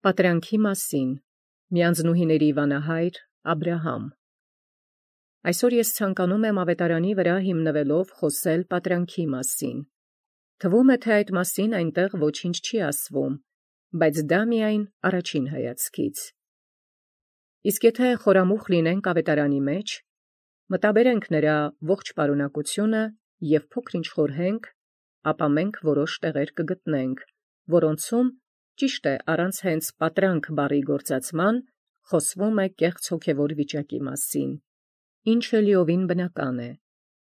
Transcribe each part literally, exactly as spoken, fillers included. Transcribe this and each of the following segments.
Պատրանքի մասին միանձնուհիների վանահայր Աբրահամ։ Այսօր ես ցանկանում եմ ավետարանի վրա հիմնվելով խոսել պատրանքի մասին։ Թվում է, թե այդ մասին այնտեղ ոչինչ չի ասվում, բայց դա միայն առաջին հայացքից։ Իսկ եթե խորամուխ լինենք ավետարանի մեջ, մտաբերենք նրա ողջ պարունակությունը և փոքր-ինչ խորհենք, ապա մենք որոշ տեղեր կգտնենք, որոնցում ճիշտ է առանց հենց պատրանք բառի գործածման խոսվում է կեղծ հոգևոր վիճակի մասին, ինչը լիովին բնական է,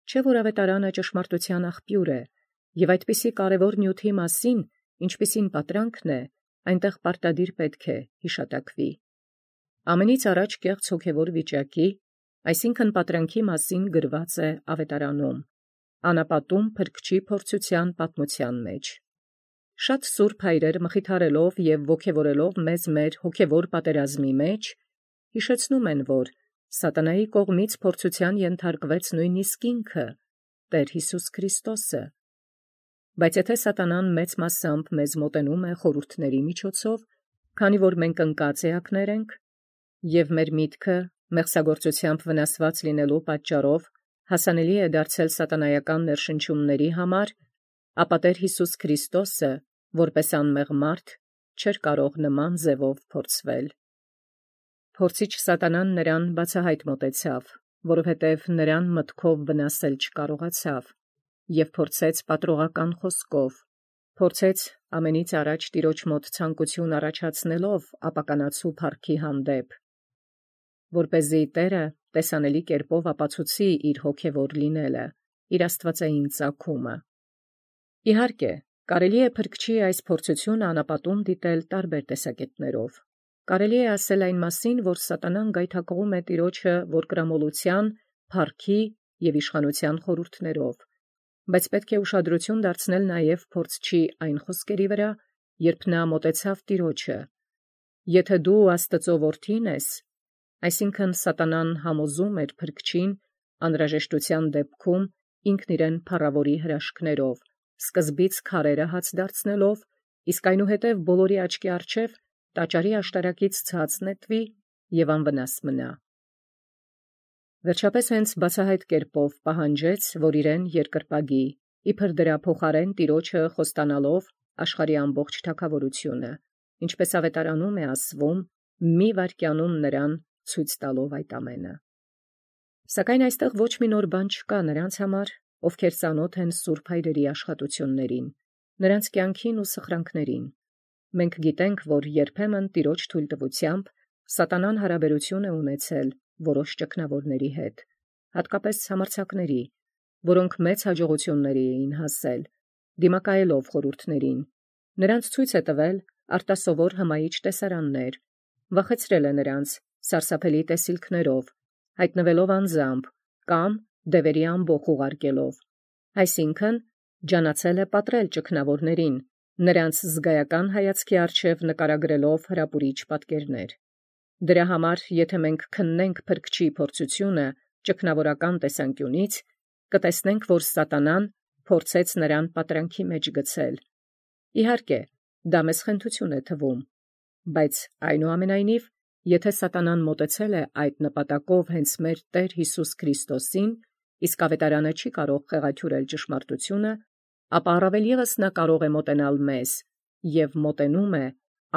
չէ՞ որ ավետարանը ճշմարտության աղբյուր է, և այդպիսի կարևոր նյութի մասին, ինչպիսին պատրանքն է, այնտեղ պարտադիր պետք է հիշատակվի։ Ամենից առաջ կեղծ հոգևոր վիճակի, այսինքն պատրանքի մասին գրված է ավետարանում, անապատում փրկչի փորձության պատմության մեջ։ Շատ սուրբ հայրեր մխիթարելով և ոգևորելով մեզ մեր հոգևոր պատերազմի մեջ, հիշեցնում են, որ սատանայի կողմից փորձության ենթարկվեց նույնիսկ ինքը, Տեր Հիսուս Քրիստոսը։ Բայց եթե սատանան մեծ մասամբ մեզ մոտենում է խորհուրդների միջոցով, քանի որ մենք ընկած էակներ ենք, և մեր միտքը մեղսագործությամբ վնասված լինելու պատճառով հասանելի է դարձել սատանայական ներշնչումների համար, ապա Տեր Հիսուս Քրիստոսը, որպես անմեղ մարդ, չէր կարող նման ձևով փորձվել։ Փորձիչ սատանան նրան բացահայտ մոտեցավ, որովհետև նրան մտքով վնասել չկարողացավ, և փորձեց պատռողական խոսքով, փորձեց ամենից առաջ Տիրոջ մոտ ցանկություն առաջացնելով ապականացու փառքի հանդեպ, որպեսզի Տերը տեսանելի կերպով ապացուցի իր հոգևոր լինելը, իր աստվածային ծագումը։ Իհարկե, կարելի է փրկչի այս փորձությունը անապատում դիտել տարբեր տեսակետներով։ Կարելի է ասել այն մասին, որ սատանան գայթակղում է Տիրոջը որդկրամոլության, փառքի և իշխանության խորհուրդներով, բայց պետք է ուշադրություն դարձնել նաև փորձչի այն խոսքերի վրա, երբ նա մոտեցավ Տիրոջը. «Եթե դու Աստծո որդին ես», այսինքն սատանան համոզում էր փրկչին անհրաժեշտության դեպքում ինքն իրեն փառավորի հրաշքներով, սկզբից քարերը հաց դարձնելով, իսկ այնուհետև բոլորի աչքի առջև տաճարի աշտարակից ցած նետվի և անվնաս մնա։ Վերջապես հենց բացահայտ կերպով պահանջեց, որ իրեն երկրպագի, իբր դրա փոխարեն Տիրոջը խոստանալով աշխարհի ամբողջ թագավորությունը, ինչպես ավետարանում է ասվում, մի վայրկյանում նրան ցույց տալով այդ ամենը։ Սակայն այստեղ ոչ մի նոր բան չկա նրանց համար, ովքեր ծանոթ են սուրբ հայրերի աշխատություններին, նրանց կյանքին ու սխրանքներին։ Մենք գիտենք, որ երբեմն Տիրոջ թույլտվությամբ սատանան հարաբերություն է ունեցել որոշ ճգնավորների հետ, հատկապես համարձակների, որոնք մեծ հաջողությունների էին հասել, դիմակայելով խորհուրդներին, նրանց ցույց է տվել արտասովոր հմայիչ տեսարաններ, վախեցրել է նրանց սարսափելի տեսիլքներով, հայտնվելով անձամբ կամ դևերի ամբոխ ուղարկելով, այսինքն ջանացել է պատռել ճգնավորներին, նրանց զգայական հայացքի առջև նկարագրելով հրապուրիչ պատկերներ։ Դրա համար, եթե մենք քննենք փրկչի փորձությունը ճգնավորական տեսանկյունից, կտեսնենք, որ սատանան փորձեց նրան պատրանքի մեջ գցել։ Իհարկե, դա մեզ խենթություն է թվում, բայց այնուամենայնիվ, եթե սատանան մոտեցել է այդ նպատակով հենց մեր Տեր Հիսուս Քրիստոսին, իսկ ավետարանը չի կարող խեղաթյուրել ճշմարտությունը, ապա առավել ևս նա կարող է մոտենալ մեզ և մոտենում է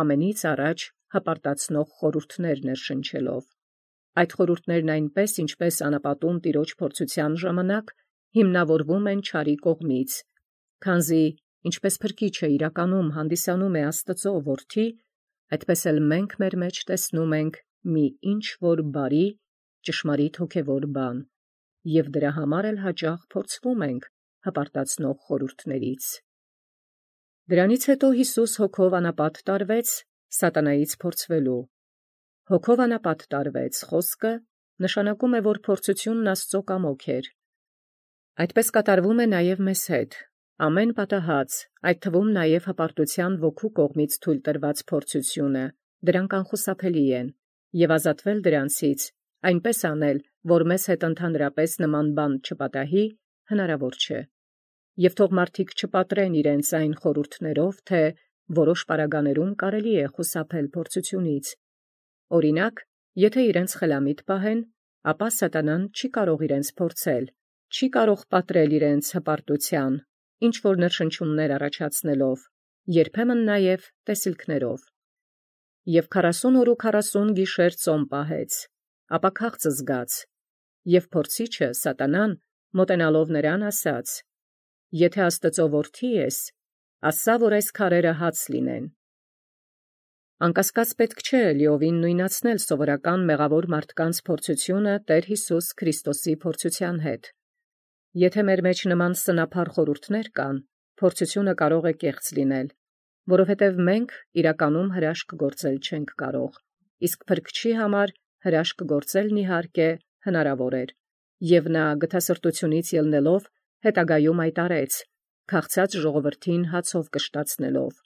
ամենից առաջ հպարտացնող խորհուրդներ ներշնչելով։ Այդ խորհուրդներն այնպես, ինչպես անապատում Տիրոջ փորձության ժամանակ հիմնավորվում են չարի կողմից, քանզի ինչպես փրկիչը իրականում հանդիսանում է Աստծո որդի, այդպես էլ մենք մեր մեջ տեսնում ենք մի ինչ-որ բարի, ճշմարիտ հոգևոր բան, և դրա համար էլ հաճախ փորձվում ենք հպարտացնող խորհուրդներից։ Դրանից հետո Հիսուս հոգով անապատ տարվեց սատանայից փորձվելու։ Հոգով անապատ տարվեց խոսքը նշանակում է, որ փորձությունն Աստծո կամոք էր։ Այդպես կատարվում է նաև մեզ հետ։ Ամեն պատահած, այդ թվում նաև հպարտության ոգու կողմից թույլ տրված փորձությունը, դրանք անխուսափելի են, և ազատվել դրանցից, այնպես անել, որ մեզ հետ ընդհանրապես նման բան չպատահի, հնարավոր չէ։ Եվ թող մարդիկ չպատրեն իրենց այն խորհուրդներով, թե որոշ պարագաներում կարելի է խուսափել փորձությունից։ Օրինակ, եթե իրենց խելամիտ պահեն, ապա սատանան չի կարող իրենց փորձել, չի կարող պատրել իրենց հպարտության, ինչ որ ներշնչումներ առաջացնելով, երբեմն նաև տեսիլքներով։ Եվ քառասուն օր ու քառասուն գիշեր ծոմ պահեց, ապա քաղց զգաց, և փորձիչը սատանան մոտենալով նրան ասաց. «Եթե Աստծո որդի ես, ասա, որ այս քարերը հաց լինեն»։ Անկասկած պետք չէ լիովին նույնացնել սովորական մեղավոր մարդկանց փորձությունը Տեր Հիսուս Քրիստոսի փորձության հետ։ Եթե մեր մեջ նման սնափառ խորհուրդներ կան, փորձությունը կարող է կեղծ լինել, որովհետև մենք իրականում հրաշք գործել չենք կարող, իսկ փրկչի համար հրաշք գործելն իհարկե հնարավոր էր, և նա գթասրտությունից ելնելով հետագայում այդ արեց, քաղցած ժողովրդին հացով կշտացնելով։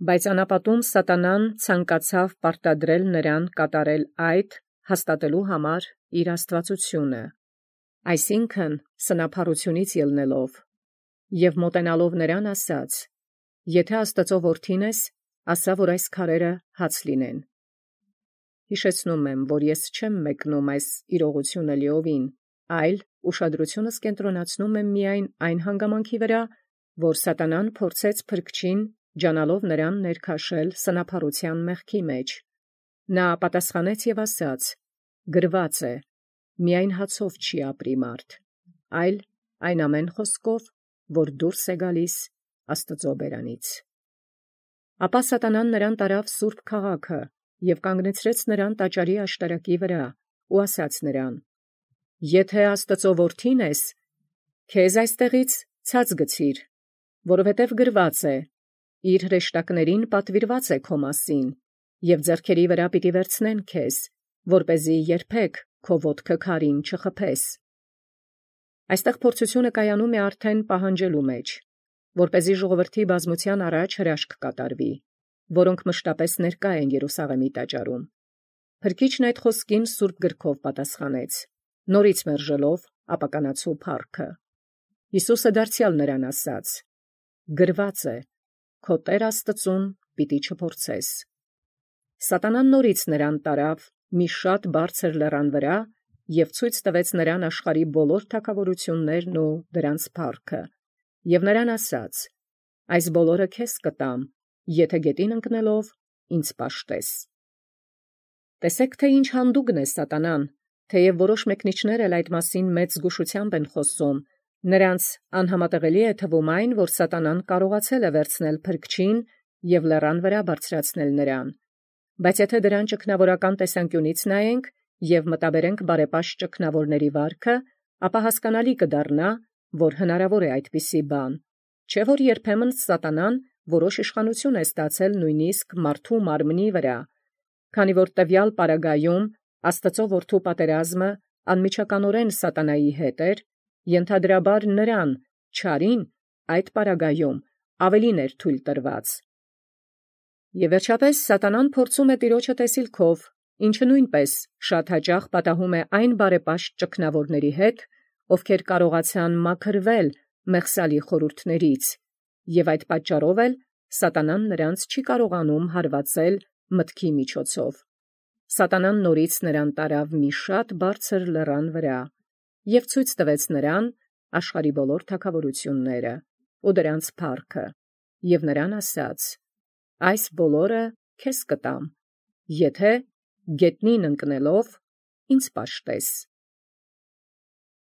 Բայց անապատում սատանան ցանկացավ պարտադրել նրան կատարել այդ, հաստատելու համար իր աստվածությունը, այսինքն սնափառությունից ելնելով, և մոտենալով նրան ասաց. «Եթե Աստծո որդին ես, ասա, որ այս քարերը հաց լինեն»։ Հիշեցնում եմ, որ ես չեմ մեկնում այս իրողությունը լիովին, այլ ուշադրությունս կենտրոնացնում եմ միայն այն հանգամանքի վրա, որ սատանան փորձեց փրկչին ջանալով նրան ներքաշել սնափառության մեղքի մեջ։ Նա պատասխանեց և ասաց. «Գրված է. միայն հացով չի ապրի մարդ, այլ այն ամեն խոսքով, որ դուրս է գալիս Աստծո բերանից»։ Ապա սատանան նրան տարավ սուրբ քաղաքը և կանգնեցրեց նրան տաճարի աշտարակի վրա ու ասաց նրան. «Եթե Աստծո որդին ես, քեզ այստեղից ցած գցիր, որովհետև գրված է. իր հրեշտակներին պատվիրված է քո մասին, և ձեռքերի վրա պիտի վերցնեն քեզ, որպեսզի երբեք քո ոտքը քարին չխփես»։ Այստեղ փորձությունը կայանում է արդեն պահանջելու մեջ, որպեսզի ժողովրդի բազմության առաջ հրաշք կատարվի, որոնք մշտապես ներկա են Երուսաղեմի տաճարում։ Փրկիչն այդ խոսքին սուրբ գրքով պատասխանեց, նորից մերժելով ապականացու փառքը։ Հիսուսը դարձյալ նրան ասաց. «Գրված է. քո Տեր Աստծուն պիտի չփորձես»։ Սատանան նորից նրան տարավ մի շատ բարձր լեռան վրա և ցույց տվեց նրան աշխարհի բոլոր թագավորություններն ու դրանց փառքը, և նրան ասաց. «Այս բոլորը քեզ կտամ, եթե գետին ընկնելով ինձ պաշտես»։ Տեսեք, թե ինչ հանդուգն է սատանան, թեև որոշ մեկնիչներ էլ այդ մասին մեծ զգուշությամբ են խոսում, նրանց անհամատեղելի է թվում այն, որ սատանան կարողացել է վերցնել փրկչին և լեռան վրա բարձրացնել նրան։ Բայց եթե դրան ճգնավորական տեսանկյունից նայենք և մտաբերենք բարեպաշտ ճգնավորների վարքը, ապա հասկանալի կդառնա, որ հնարավոր է այդպիսի բան, չէ՞ որ երբեմն սատանան որոշ իշխանություն է ստացել նույնիսկ մարդու մարմնի վրա, քանի որ տվյալ պարագայում Աստծո որդու պատերազմը անմիջականորեն սատանայի հետ էր, ենթադրաբար նրան, չարին, այդ պարագայում ավելին էր թույլ տրված։ Եվ վերջապես սատանան փորձում է տիրոջը տեսիլքով, ինչը նույնպես շատ հաճախ պատահում է այն բարեպաշտ ճգնավորների հետ, ովքեր կարողացան մաքրվել մեղսալի խորհուրդներից, և այդ պատճառով էլ սատանան նրանց չի կարողանում հարվածել մտքի միջոցով։ Սատանան նորից նրան տարավ մի շատ բարձր լեռան վրա և ցույց տվեց նրան աշխարհի բոլոր թագավորությունները ու դրանց փառքը, և նրան ասաց. «Այս բոլորը քեզ կտամ, եթե գետնին ընկնելով ինձ պաշտես»։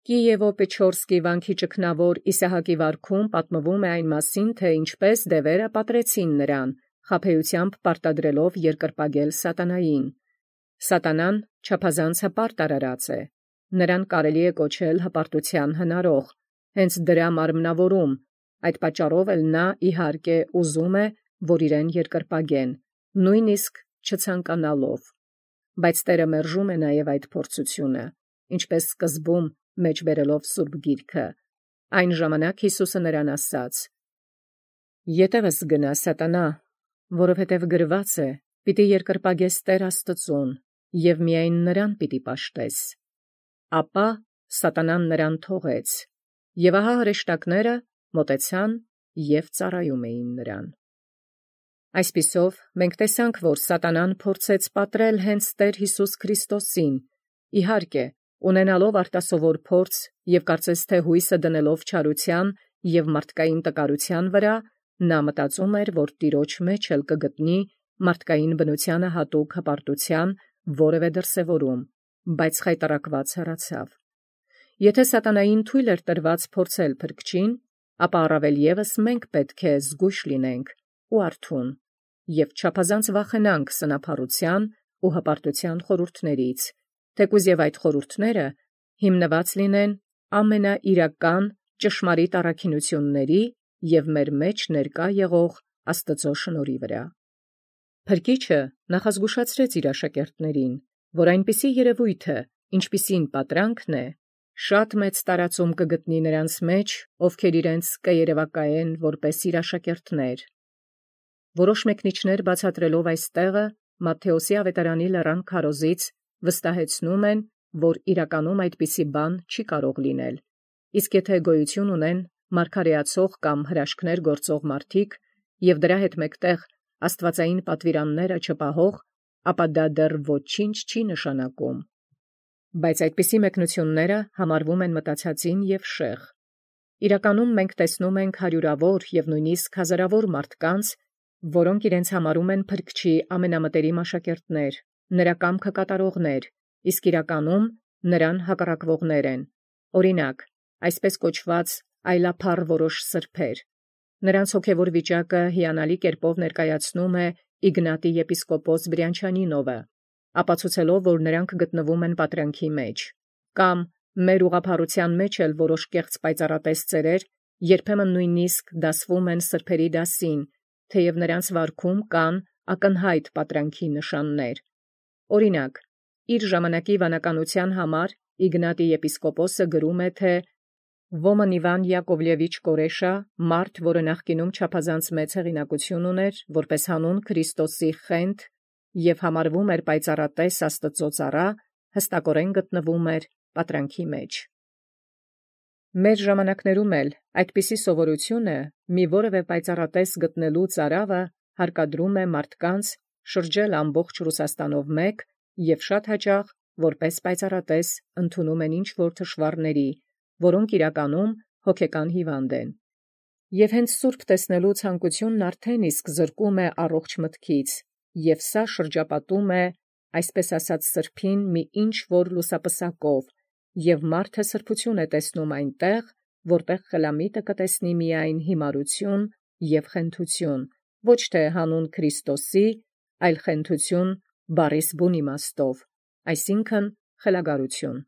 Կիևո-Պեչորսկի վանքի ճգնավոր Իսահակի վարքում պատմվում է այն մասին, թե ինչպես դևերը պատռեցին նրան, խաբեությամբ պարտադրելով երկրպագել սատանային։ Սատանան չափազանց հպարտ արարած է, նրան կարելի է կոչել հպարտության հնարող, հենց դրա մարմնավորում, այդ պատճառով էլ նա իհարկե ուզում է, որ իրեն երկրպագեն, նույնիսկ չցանկանալով։ Բայց Տերը մերժում է նաև այդ փորձությունը, ինչպես սկզբում մեջբերելով Սուրբ Գիրքը։ Այն ժամանակ Հիսուսը նրան ասաց. «Ետևս գնա, սատանա, որովհետև գրված է. պիտի երկրպագես Տեր Աստծուն, և միայն նրան պիտի պաշտես»։ Ապա սատանան նրան թողեց, և ահա հրեշտակները մոտեցան և ծառայում էին նրան։ Այսպիսով մենք տեսանք, որ Սատանան փորձեց պատռել հենց Տեր Յիսուս Քրիստոսին, իհարկե, ունենալով արտասովոր փորձ և կարծես թե հույսը դնելով չարության և մարդկային տկարության վրա, նա մտածում էր, որ Տիրոջ մեջ էլ կգտնի մարդկային բնությանը հատուկ հպարտության որևէ դրսևորում, բայց խայտառակված հեռացավ։ Եթե սատանային թույլ էր տրված փորձել փրկչին, ապա առավել ևս մենք պետք է զգույշ լինենք ու արթուն և չափազանց վախենանք սնափառության ու հպարտության խորհուրդներից, թեկուզ և այդ խորհուրդները հիմնված լինեն ամենաիրական ճշմարիտ առաքինությունների և մեր մեջ ներկա եղող Աստծո շնորհի վրա։ Փրկիչը նախազգուշացրեց իր աշակերտներին, որ այնպիսի երևույթը, ինչպիսին պատրանքն է, շատ մեծ տարածում կգտնի նրանց մեջ, ովքեր իրենց կերևակայեն որպես իր աշակերտներ։ Որոշ մեկնիչներ բացատրելով այս տեղը Մատթեոսի ավետարանի լեռան քարոզից վստահեցնում են, որ իրականում այդպիսի բան չի կարող լինել, իսկ եթե գոյություն ունեն մարգարեացող կամ հրաշքներ գործող մարդիկ և դրա հետ մեկտեղ աստվածային պատվիրանները չպահող, ապա դա դեռ ոչինչ չի նշանակում։ Բայց այդպիսի մեկնությունները համարվում են մտածածին և շեղ։ Իրականում մենք տեսնում ենք հարյուրավոր և նույնիսկ հազարավոր մարդկանց, որոնք իրենց համարում են Փրկչի ամենամտերիմ աշակերտներ, նրա կամքը կատարողներ, իսկ իրականում նրան հակառակվողներ են, օրինակ, այսպես կոչված այլափառ որոշ սրբեր։ Նրանց հոգևոր վիճակը հիանալի կերպով ներկայացնում է Իգնատի եպիսկոպոս Բրյանչանինովը, ապացուցելով, որ նրանք գտնվում են պատրանքի մեջ, կամ մեր ուղղափառության մեջ էլ որոշ կեղծ պայծառատես ծերեր երբեմն նույնիսկ դասվում են սրբերի դասին, թեև նրանց վարքում կան ակնհայտ պատրանքի նշաններ։ Օրինակ, իր ժամանակի վանականության համար Իգնատի եպիսկոպոսը գրում է, թե «Ոմն Իվան Յակովլևիչ Կորեշա, մարդ, որը նախկինում չափազանց մեծ հեղինակություն ուներ, որպես հանուն Քրիստոսի խենթ և համարվում էր պայծառատես Աստծո ծառա, հստակորեն գտնվում էր պատրանքի մեջ»։ Մեր ժամանակներում էլ այդպիսի սովորությունը մի որևէ պայծառատես գտնելու ծարավը հարկադրում է մարդկանց շրջել ամբողջ Ռուսաստանով մեկ և շատ հաճախ որպես պայծառատես ընդունում են ինչ-որ թշվառների, որոնք իրականում հոգեկան հիվանդ են։ Եվ հենց սուրբ տեսնելու ցանկությունն արդեն իսկ զրկում է առողջ մտքից, և սա շրջապատում է, այսպես ասած, սրբին մի ինչ-որ լուսապսակով, և մարդը սրբություն է տեսնում այնտեղ, որտեղ խելամիտը կտեսնի միայն հիմարություն և խենթություն, ոչ թե հանուն Քրիստոսի, այլ խենթություն բառիս բուն իմաստով, այսինքն խելագարություն։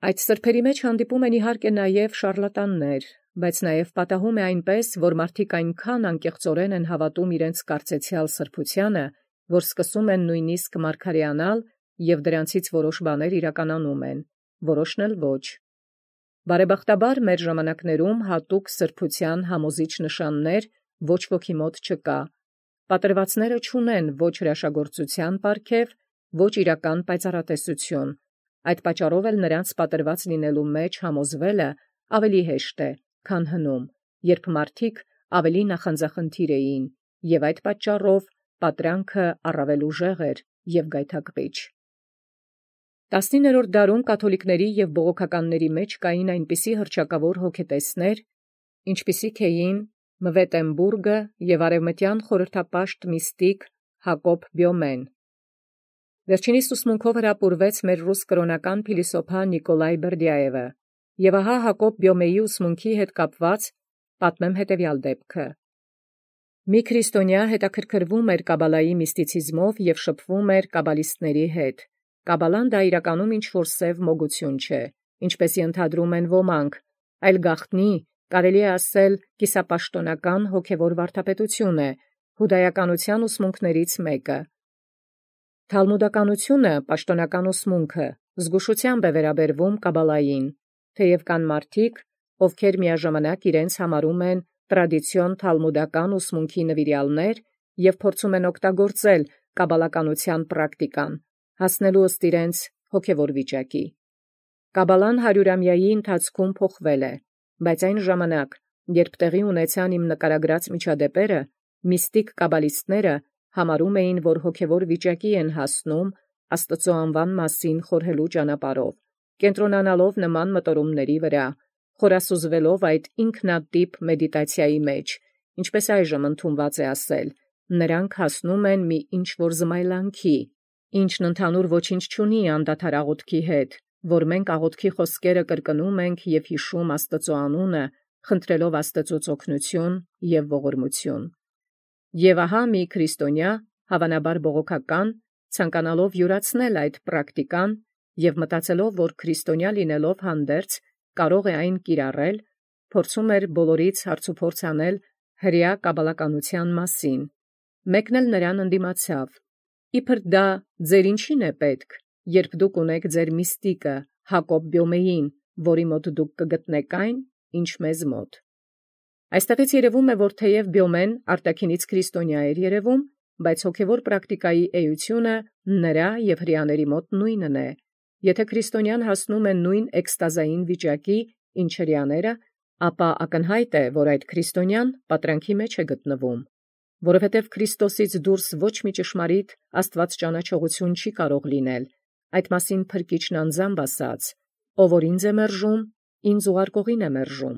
Այդ սրբերի մեջ հանդիպում են իհարկե նաև շառլատաններ, բայց նաև պատահում է այնպես, որ մարդիկ այնքան անկեղծորեն են հավատում իրենց կարծեցյալ սրբությանը, որ սկսում են նույնիսկ մարգարեանալ և դրանցից որոշ բաներ իրականանում են, որոշն էլ ոչ։ Բարեբախտաբար մեր ժամանակներում հատուկ սրբության համոզիչ նշաններ ոչ ոքի մոտ չկա։ Պատրվածները չունեն ոչ հրաշագործության պարգև, ոչ իրական պայծառատեսություն։ Այդ պատճառով էլ նրանց պատրված լինելու մեջ համոզվելը ավելի հեշտ է, քան հնում, երբ մարդիկ ավելի նախանձախնդիր էին, և այդ պատճառով պատրանքը առավել ուժեղ էր և գայթակղիչ։ Տասնիններորդ դարում կաթոլիկների և բողոքականների մեջ կային այնպիսի հռչակավոր հոգետեսներ, ինչպիսիք էին Մվետեմբուրգը և արևմտյան խորհրդապաշտ միստիկ Հակոբ Բյոմեն։ Վերջինիս ուսմունքով հրապուրվեց մեր ռուս կրոնական փիլիսոփա Նիկոլայ Բերդյաևը, և ահա Հակոբ Բյոմեի ուսմունքի հետ կապված պատմեմ հետևյալ դեպքը։ Մի քրիստոնյա հետաքրքրվում էր կաբալայի միստիցիզմով և շփվում էր կաբալիստների հետ։ Կաբալան դա իրականում ինչ-որ սև մոգություն չէ, ինչպես ենթադրում են ոմանք, այլ գաղտնի, կարելի է ասել, կիսապաշտոնական հոգևոր վարդապետություն է, հուդայականության ուսմունքներից մեկը։ Թալմուդականությունը, պաշտոնական ուսմունքը, զգուշությամբ է վերաբերվում կաբալային, թեև կան մարդիկ, ովքեր միաժամանակ իրենց համարում են տրադիցիոն թալմուդական ուսմունքի նվիրյալներ և փորձում են օգտագործել կաբալականության պրակտիկան, հասնելու ըստ իրենց հոգևոր վիճակի։ Կաբալան հարյուրամյայի ընթացքում փոխվել է, բայց այն ժամանակ, երբ տեղի ունեցան իմ նկարագրած միջադեպերը, Միստիկ կաբալիստները համարում էին, որ հոգևոր վիճակի են հասնում Աստծո անվան մասին խորհելու ճանապարհով, կենտրոնանալով նման մտորումների վրա, խորասուզվելով այդ ինքնատիպ մեդիտացիայի մեջ, ինչպես այժմ ընդունված է ասել, նրանք հասնում են մի ինչ-որ զմայլանքի, ինչն ընդհանուր ոչինչ չունի անդադար աղոթքի հետ, որ մենք աղոթքի խոսքերը կրկնում ենք և հիշում Աստծո անունը, խնդրելով Աստծոց օգնություն և ողորմություն։ Եվ ահա մի քրիստոնյա, հավանաբար բողոքական, ցանկանալով յուրացնել այդ պրակտիկան և մտածելով, որ քրիստոնյա լինելով հանդերձ կարող է այն կիրառել, փորձում էր բոլորից հարցուփորձ անել հրեա կաբալականության մասին։ Մեկն էլ նրան ընդդիմացավ. «Իբր դա ձեր ինչին է պետք, երբ դուք ունեք ձեր միստիկը Հակոբ Բյոմեին, որի մոտ դուք կգտնեք այն, ինչ մեզ մոտ»։ Այստեղից երևում է, որ թեև Բյոմեն արտաքինից քրիստոնյա էր երևում, բայց հոգևոր պրակտիկայի էությունը նրա և հրեաների մոտ նույնն է։ Եթե քրիստոնյան հասնում է նույն էքստազային վիճակի, ինչ հրեաները, ապա ակնհայտ է, որ այդ քրիստոնյան պատրանքի մեջ է գտնվում, որովհետև Քրիստոսից դուրս ոչ մի ճշմարիտ Աստված ճանաչողություն չի կարող լինել։ Այդ մասին Փրկիչն անձամբ ասաց. «Ով որ ինձ է մերժում, ինձ ուղարկողին է մերժում»։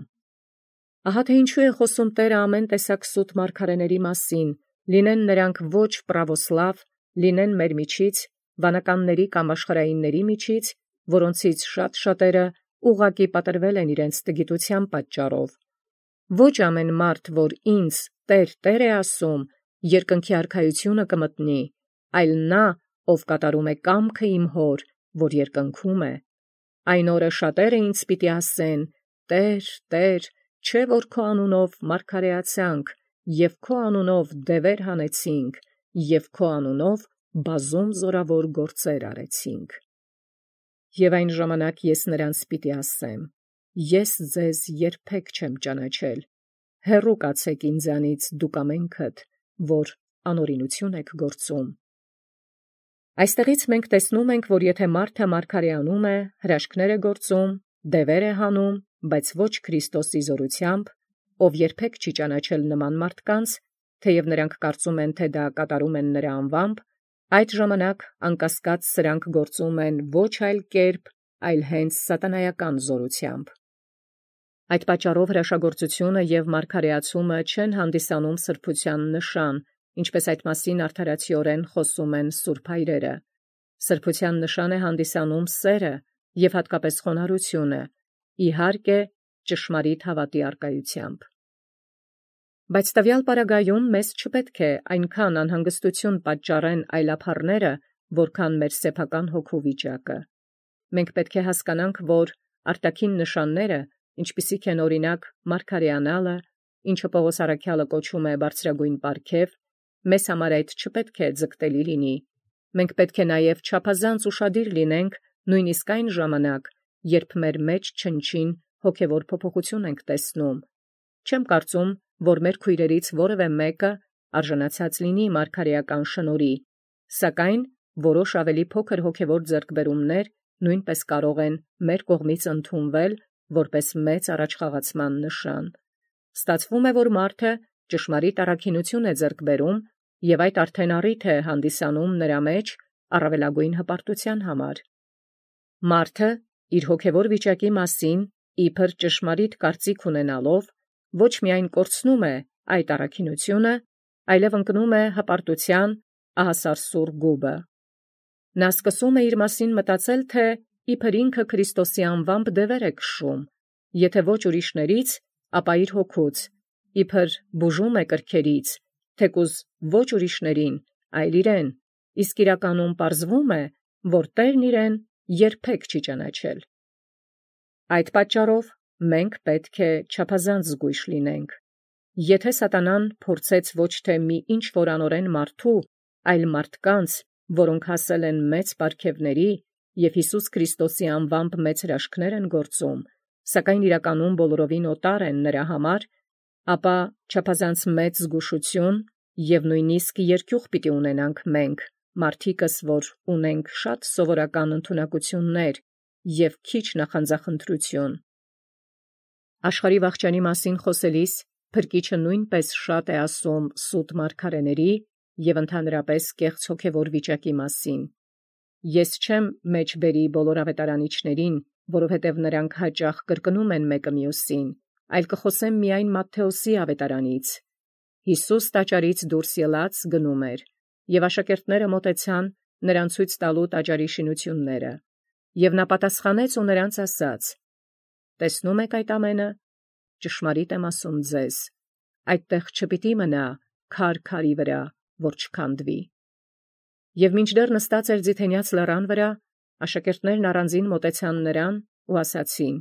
Ահա թե ինչու է խոսում Տերը ամեն տեսակ սուտ մարգարեների մասին, լինեն նրանք ոչ պրավոսլավ, լինեն մեր միջից, վանականների կամ աշխարհայինների միջից, որոնցից շատ-շատերը ուղղակի պատրվել են իրենց տգիտության պատճառով։ Ոչ ամեն մարդ, որ ինձ Տեր, Տեր է ասում, երկնքի արքայությունը կմտնի, այլ նա, ով կատարում է կամքը իմ հոր, որ երկնքում է։ Այն օրը շատերը ինձ պիտի ասեն. «Տեր, Տեր, չէ՞ որ քո անունով մարգարեացանք, և քո անունով դևեր հանեցինք, և քո անունով բազում զորավոր գործեր արեցինք»։ Եվ այն ժամանակ ես նրանց պիտի ասեմ. «Ես ձեզ երբեք չեմ ճանաչել. հեռու կացեք ինձանից դուք ամենքդ, որ անօրինություն եք գործում»։ Այստեղից մենք տեսնում ենք, որ եթե մարդը մարգարեանում է, հրաշքներ է գործում, դևեր է հանում, բայց ոչ Քրիստոսի զորությամբ, ով երբեք չի ճանաչել նման մարդկանց, թեև նրանք կարծում են, թե դա կատարում են նրա անվամբ, այդ ժամանակ անկասկած սրանք գործում են ոչ այլ կերպ, այլ հենց սատանայական զորությամբ։ Այդ պատճառով հրաշագործությունը և մարգարեացումը չեն հանդիսանում սրբության նշան, ինչպես այդ մասին արդարացիորեն խոսում են սուրբ հայրերը։ Սրբության նշան է հանդիսանում սերը և հատկապես խոնարհությունը, իհարկե, ճշմարիտ հավատի առկայությամբ։ Բայց տվյալ պարագայում մեզ չպետք է այնքան անհանգստություն պատճառեն այլափառները, որքան մեր սեփական հոգու վիճակը։ Մենք պետք է հասկանանք, որ արտաքին նշանները, ինչպիսիք են օրինակ մարգարեանալը, ինչը Պողոս առաքյալը կոչում է բարձրագույն պարգև, մեզ համար այդ չպետք է ձգտելի լինի։ Մենք պետք է նաև չափազանց ուշադիր լինենք նույնիսկ այն ժամանակ, երբ մեր մեջ չնչին հոգևոր փոփոխություն ենք տեսնում։ Չեմ կարծում, որ մեր քույրերից որևէ մեկը արժանացած լինի մարգարեական շնորհի, սակայն որոշ ավելի փոքր հոգևոր ձեռքբերումներ նույնպես կարող են մեր կողմից ընդունվել որպես մեծ առաջխաղացման նշան։ Ստացվում է, որ մարդը ճշմարիտ առաքինություն է ձեռք բերում, և այդ արդեն առիթ է հանդիսանում նրա մեջ առավելագույն հպարտության համար։ Մարդը իր հոգևոր վիճակի մասին իբր ճշմարիտ կարծիք ունենալով ոչ միայն կորցնում է այդ առաքինությունը, այլև ընկնում է հպարտության ահասարսուռ գուբը։ Նա սկսում է իր մասին մտածել, թե իբր ինքը Քրիստոսի անվամբ դևեր է քշում, եթե ոչ ուրիշներից, ապա իր հոգուց, իբր բուժում է կրքերից, թեկուզ ոչ ուրիշներին, այլ իրեն, իսկ իրականում պարզվում է, որ Տերն իրեն երբեք չի ճանաչել։ Այդ պատճառով մենք պետք է չափազանց զգույշ լինենք։ Եթե սատանան փորձեց ոչ թե մի ինչ-որ անօրեն մարդու, այլ մարդկանց, որոնք հասել են մեծ պարգևների և Հիսուս Քրիստոսի անվամբ մեծ հրաշքներ են գործում, սակայն իրականում բոլորովին օտար են նրա համար, ապա չափազանց մեծ զգուշություն և նույնիսկ երկյուղ պիտի ունենանք մենք, մարդիկս, որ ունենք շատ սովորական ընդունակություններ և քիչ նախանձախնդրություն։ Աշխարհի վախճանի մասին խոսելիս Փրկիչը նույնպես շատ է ասում սուտ մարգարեների և ընդհանրապես կեղծ հոգևոր վիճակի մասին։ Ես չեմ մեջ բերի բոլոր ավետարանիչներին, որովհետև նրանք հաճախ կրկնում են մեկը մյուսին, այլ կխոսեմ միայն Մատթեոսի ավետարանից։ Հիսուս տաճարից դուրս ելած գնում էր, և աշակերտները մոտեցան նրան ցույց տալու տաճարի շինությունները, և նա պատասխանեց ու նրանց ասաց. «Տեսնում եք այդ ամենը. ճշմարիտ եմ ասում ձեզ, այդտեղ չպիտի մնա քար քարի վրա, որ չքանդվի»։ Եվ մինչդեռ նստած էր Ձիթենյաց լեռան վրա, աշակերտներն առանձին մոտեցան նրան ու ասացին.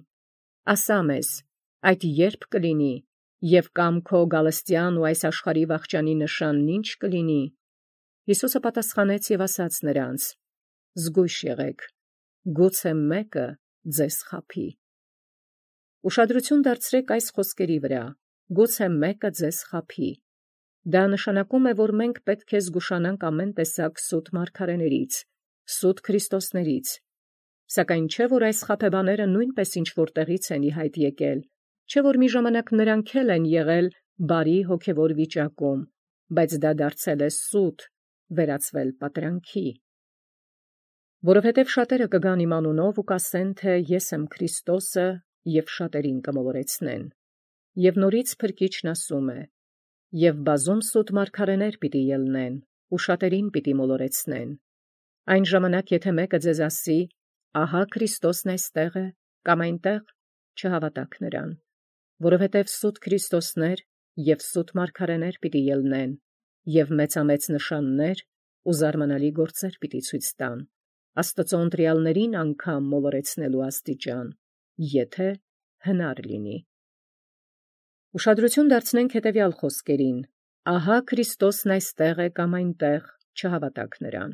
«Ասա մեզ, այդ ե՞րբ կլինի, և կամ քո գալստյան ու այս աշխարհի վախճանի նշանն ի՞նչ կլինի»։ Հիսուսը պատասխանեց և ասաց նրանց. «Զգույշ եղեք, գուցե մեկը ձեզ խաբի»։ Ուշադրություն դարձրեք այս խոսքերի վրա. գուցե մեկը ձեզ խաբի։ Դա նշանակում է, որ մենք պետք է զգուշանանք ամեն տեսակ սուտ մարգարեներից, սուտ քրիստոսներից։ Սակայն չէ, որ այս խաբեբաները նույնպես ինչ-որ տեղից են ի հայտ եկել, չէ, որ մի ժամանակ նրանք էլ են եղել բարի հոգևոր վիճակում, բայց դա դարձել է սուտ, վերածվել պատրանքի։ Որովհետև շատերը կգան իմ անունով ու կասեն, թե ես եմ Քրիստոսը, և շատերին կմոլորեցնեն։ Եվ նորից Փրկիչն ասում է. «Եվ բազում սուտ մարգարեներ պիտի ելնեն, ու շատերին պիտի մոլորեցնեն։ Այն ժամանակ, եթե մեկը ձեզ ասի. ահա Քրիստոսն այստեղ է, կամ այնտեղ, չհավատաք նրան, որովհետև սուտ Քրիստոսներ և սուտ մարգարեներ պիտի ելնեն, և մեծամեծ նշաններ ու զարմանալի գործեր պիտի ցույց տան, Աստծո ընտրյալներին անգամ մոլորեցնելու աստիճան, եթե հնար լինի»։ Ուշադրություն դարձնենք հետևյալ խոսքերին. ահա Քրիստոսն այստեղ է կամ այնտեղ, չհավատաք նրան։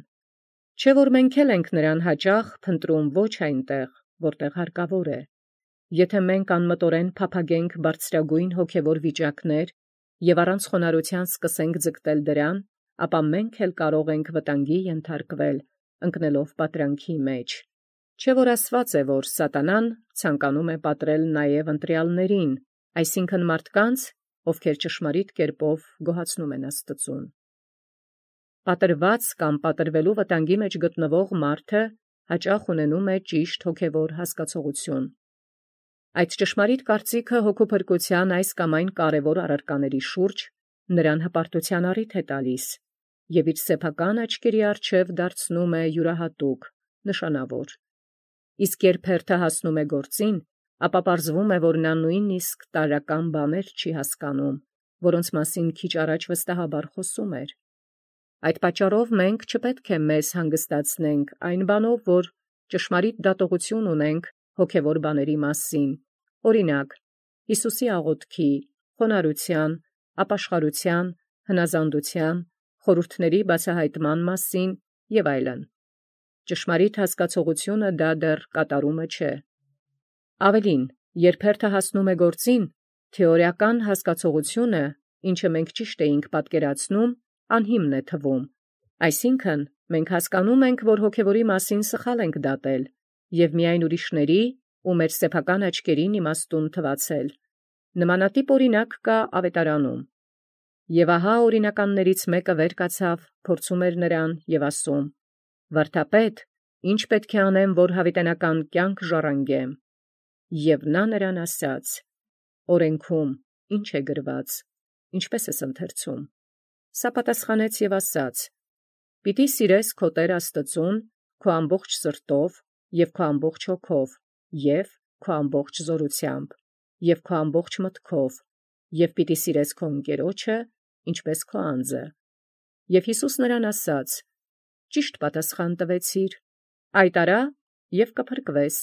Չէ՞ որ մենք էլ ենք նրան հաճախ փնտրում ոչ այնտեղ, որտեղ հարկավոր է։ Եթե մենք անմտորեն փափագենք բարձրագույն հոգևոր վիճակներ և առանց խոնարհության սկսենք ձգտել դրան, ապա մենք էլ կարող ենք վտանգի ենթարկվել, ընկնելով պատրանքի մեջ։ Չէ՞ որ ասված է, որ սատանան ցանկանում է պատրել նաև ընտրյալներին, այսինքն մարդկանց, ովքեր ճշմարիտ կերպով գոհացնում են Աստծուն։ Պատրված կամ պատրվելու վտանգի մեջ գտնվող մարդը հաճախ ունենում է ճիշտ հոգևոր հասկացողություն։ Այդ ճշմարիտ կարծիքը հոգու փրկության այս կամ այն կարևոր առարկաների շուրջ նրան հպարտության առիթ է տալիս և իր սեփական աչքերի առջև դարձնում է յուրահատուկ, նշանավոր։ Իսկ երբ հերթը հասնում է գործին, ապա պարզվում է, որ նա նույնիսկ տարրական բաներ չի հասկանում, որոնց մասին քիչ առաջ վստահաբար խոսում էր։ Այդ պատճառով մենք չպետք է մեզ հանգստացնենք այն բանով, որ ճշմարիտ դատողություն ունենք հոգևոր բաների մասին, օրինակ, Հիսուսի աղոթքի, խոնարհության, ապաշխարության, հնազանդության, խորհուրդների բացահայտման մասին և այլն։ Ճշմարիտ հասկացողությունը դա դեռ կատարումը չէ։ Ավելին, երբ հերթը հասնում է գործին, թեորիական հասկացողությունը, ինչը մենք ճիշտ էինք պատկերացնում, անհիմն է թվում։ Այսինքն, մենք հասկանում ենք, որ հոգևորի մասին սխալ ենք դատել և միայն ուրիշների ու մեր սեփական աչքերին իմաստուն թվացել։ Նմանատիպ օրինակ կա ավետարանում։ Եվ ահա օրինականներից մեկը վեր կացավ, փորձում էր նրան և ասում. «Վարդապետ, ի՞նչ պետք է անեմ, որ հավիտենական կյանք ժառանգեմ»։ Եվ նա նրան ասաց. «Օրենքում ի՞նչ է գրված, ինչպես ես ընթերցում»։ Սա պատասխանեց և ասաց. «Պիտի սիրես քո Տեր Աստծուն քո ամբողջ սրտով և քո ամբողջ հոգով և քո ամբողջ զորությամբ և քո ամբողջ մտքով, և պիտի սիրես քո ընկերոջը, ինչպես քո անձը»։ Եվ Հիսուս նրան ասաց. «Ճիշտ պատասխան տվեցիր, այդ արա և կփրկվես»։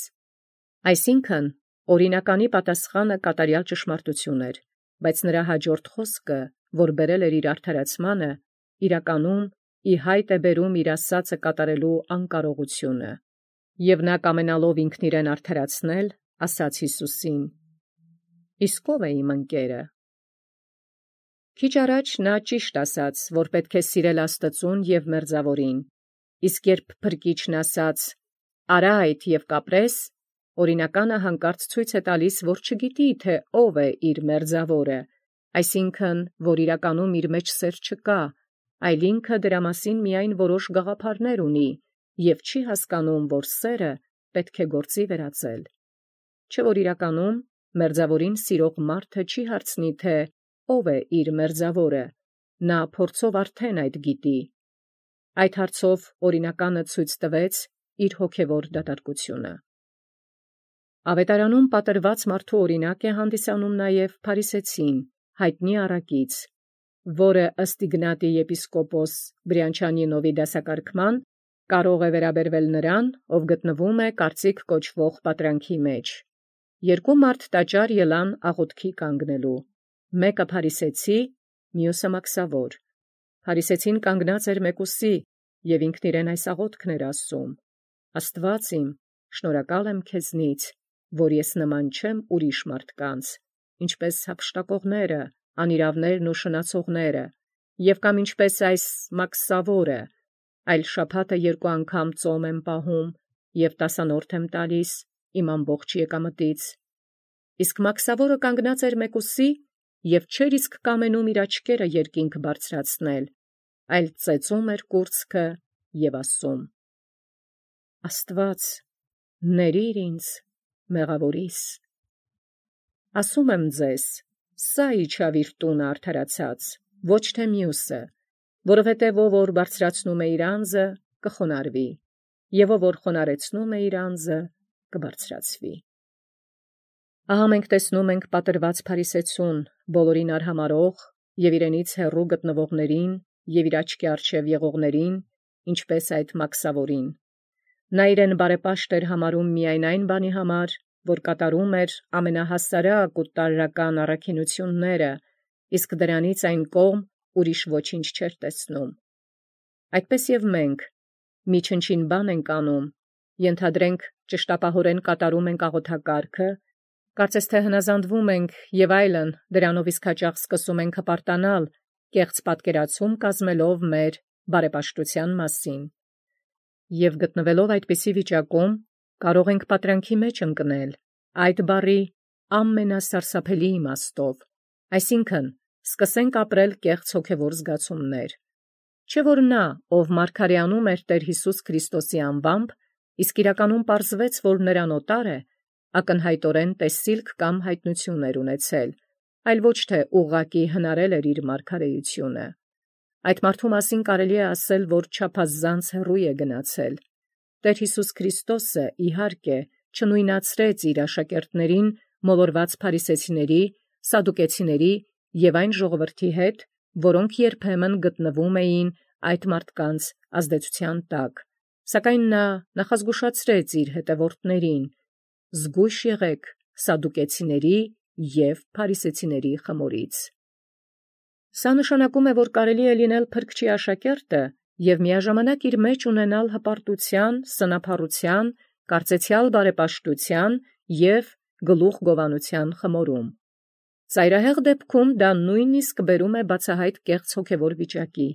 Այսինքն, օրինականի պատասխանը կատարյալ ճշմարտություն էր, բայց նրա հաջորդ խոսքը, որ բերել էր իր արդարացմանը, իրականում ի հայտ է բերում իր ասածը կատարելու անկարողությունը։ Եվ նա կամենալով ինքն իրեն արդարացնել, ասաց Հիսուսին. «Իսկ ո՞վ է իմ ընկերը»։ Քիչ առաջ նա ճիշտ ասաց, որ պետք է սիրել Աստծուն և մերձավորին, իսկ երբ Փրկիչն ասաց. «Արա այդ և կապրես», օրինականը հանկարծ ցույց է տալիս, որ չգիտի, թե ով է իր մերձավորը, այսինքն, որ իրականում իր մեջ սեր չկա, այլ ինքը դրա մասին միայն որոշ գաղափարներ ունի և չի հասկանում, որ սերը պետք է գործի վերածել։ Չէ որ իրականում մերձավորին սիրող մարդը չի հարցնի, թե ով է իր մերձավորը, նա փորձով արդեն այդ գիտի։ Այդ հարցով օրինականը ցույց տվեց իր հոգևոր դատարկությունը։ Ավետարանում պատրված մարդու օրինակ է հանդիսանում նաև Փարիսեցին, հայտնի առակից, որը ըստ Իգնատի եպիսկոպոս Բրյանչանինովի դասակարգման կարող է վերաբերվել նրան, ով գտնվում է կարծիք կոչվող պատրանքի մեջ։ Երկու մարդ տաճար ելան աղոթքի կանգնելու, մեկը փարիսեցի, մյուսը մաքսավոր։ Փարիսեցին կանգնած էր մեկուսի և ինքն իրեն այս աղոթքն էր ասում. «Աստված իմ, շնորհակալ եմ քեզնից, որ ես նման չեմ ուրիշ մարդկանց, ինչպես հափշտակողները, անիրավներն ու շնացողները, և կամ ինչպես այս մաքսավորը, այլ շաբաթը երկու անգամ ծոմ եմ պահում և տասանորդ եմ տալիս իմ ամբողջ եկամտից»։ Իսկ մաքսավորը կանգնած էր մեկուսի և չէր իսկ կամենում իր աչքերը երկինք բարձրացնել, այլ ծեծում էր կուրծքը և ասում. «Աստված, ներիր ինձ մեղավորիս։ Ասում եմ ձեզ, սա իջավ իր տունը արդարացած, ոչ թե մյուսը, որովհետև ով որ բարձրացնում է իր անձը, կխոնարհվի, և ով որ խոնարհեցնում է իր անձը, կբարձրացվի»։ Ահա մենք տեսնում ենք պատրված փարիսեցուն, բոլորին արհամարհող և իրենից հեռու գտնվողներին և իր աչքի առջև եղողներին, ինչպես այդ մաքսավորին։ Նա իրեն բարեպաշտ էր համարում միայն այն բանի համար, որ կատարում էր ամենահասարակ ու տարրական առաքինությունները, իսկ դրանից այն կողմ ուրիշ ոչինչ չէր տեսնում։ Այդպես և մենք մի չնչին բան ենք անում, ենթադրենք ճշտապահորեն կատարում ենք աղոթակարգը, կարծես թե հնազանդվում ենք և այլն, դրանով իսկ հաճախ սկսում ենք հպարտանալ, կեղծ պատկերացում կազմելով մեր բարեպաշտության մասին։ Եվ գտնվելով այդպիսի վիճակում, կարող ենք պատրանքի մեջ ընկնել այդ բառի ամենասարսափելի իմաստով, այսինքն՝ սկսենք ապրել կեղծ հոգևոր զգացումներ։ Չէ որ նա, ով մարգարեանում էր Տեր Հիսուս Քրիստոսի անվամբ, իսկ իրականում պարզվեց, որ նրան օտար է, ակնհայտորեն տեսիլք կամ հայտնություն էր ունեցել, այլ ոչ թե ուղղակի հնարել էր իր մարգարեությունը։ Այդ մարդու մասին կարելի է ասել, որ չափազանց հեռու է գնացել։ Տեր Հիսուս Քրիստոսը, իհարկե, չնույնացրեց իր աշակերտներին մոլորված փարիսեցիների, սադուկեցիների և այն ժողովրդի հետ, որոնք երբեմն գտնվում էին այդ մարդկանց ազդեցության տակ, սակայն նա նախազգուշացրեց իր հետևորդներին. «Զգույշ եղեք սադուկեցիների և փարիսեցիների խմորից»։ Սա նշանակում է, որ կարելի է լինել փրկչի աշակերտը և միաժամանակ իր մեջ ունենալ հպարտության, սնափառության, կարծեցյալ բարեպաշտության և գլուխգովանության խմորում։ Ծայրահեղ դեպքում դա նույնիսկ բերում է բացահայտ կեղծ հոգևոր վիճակի,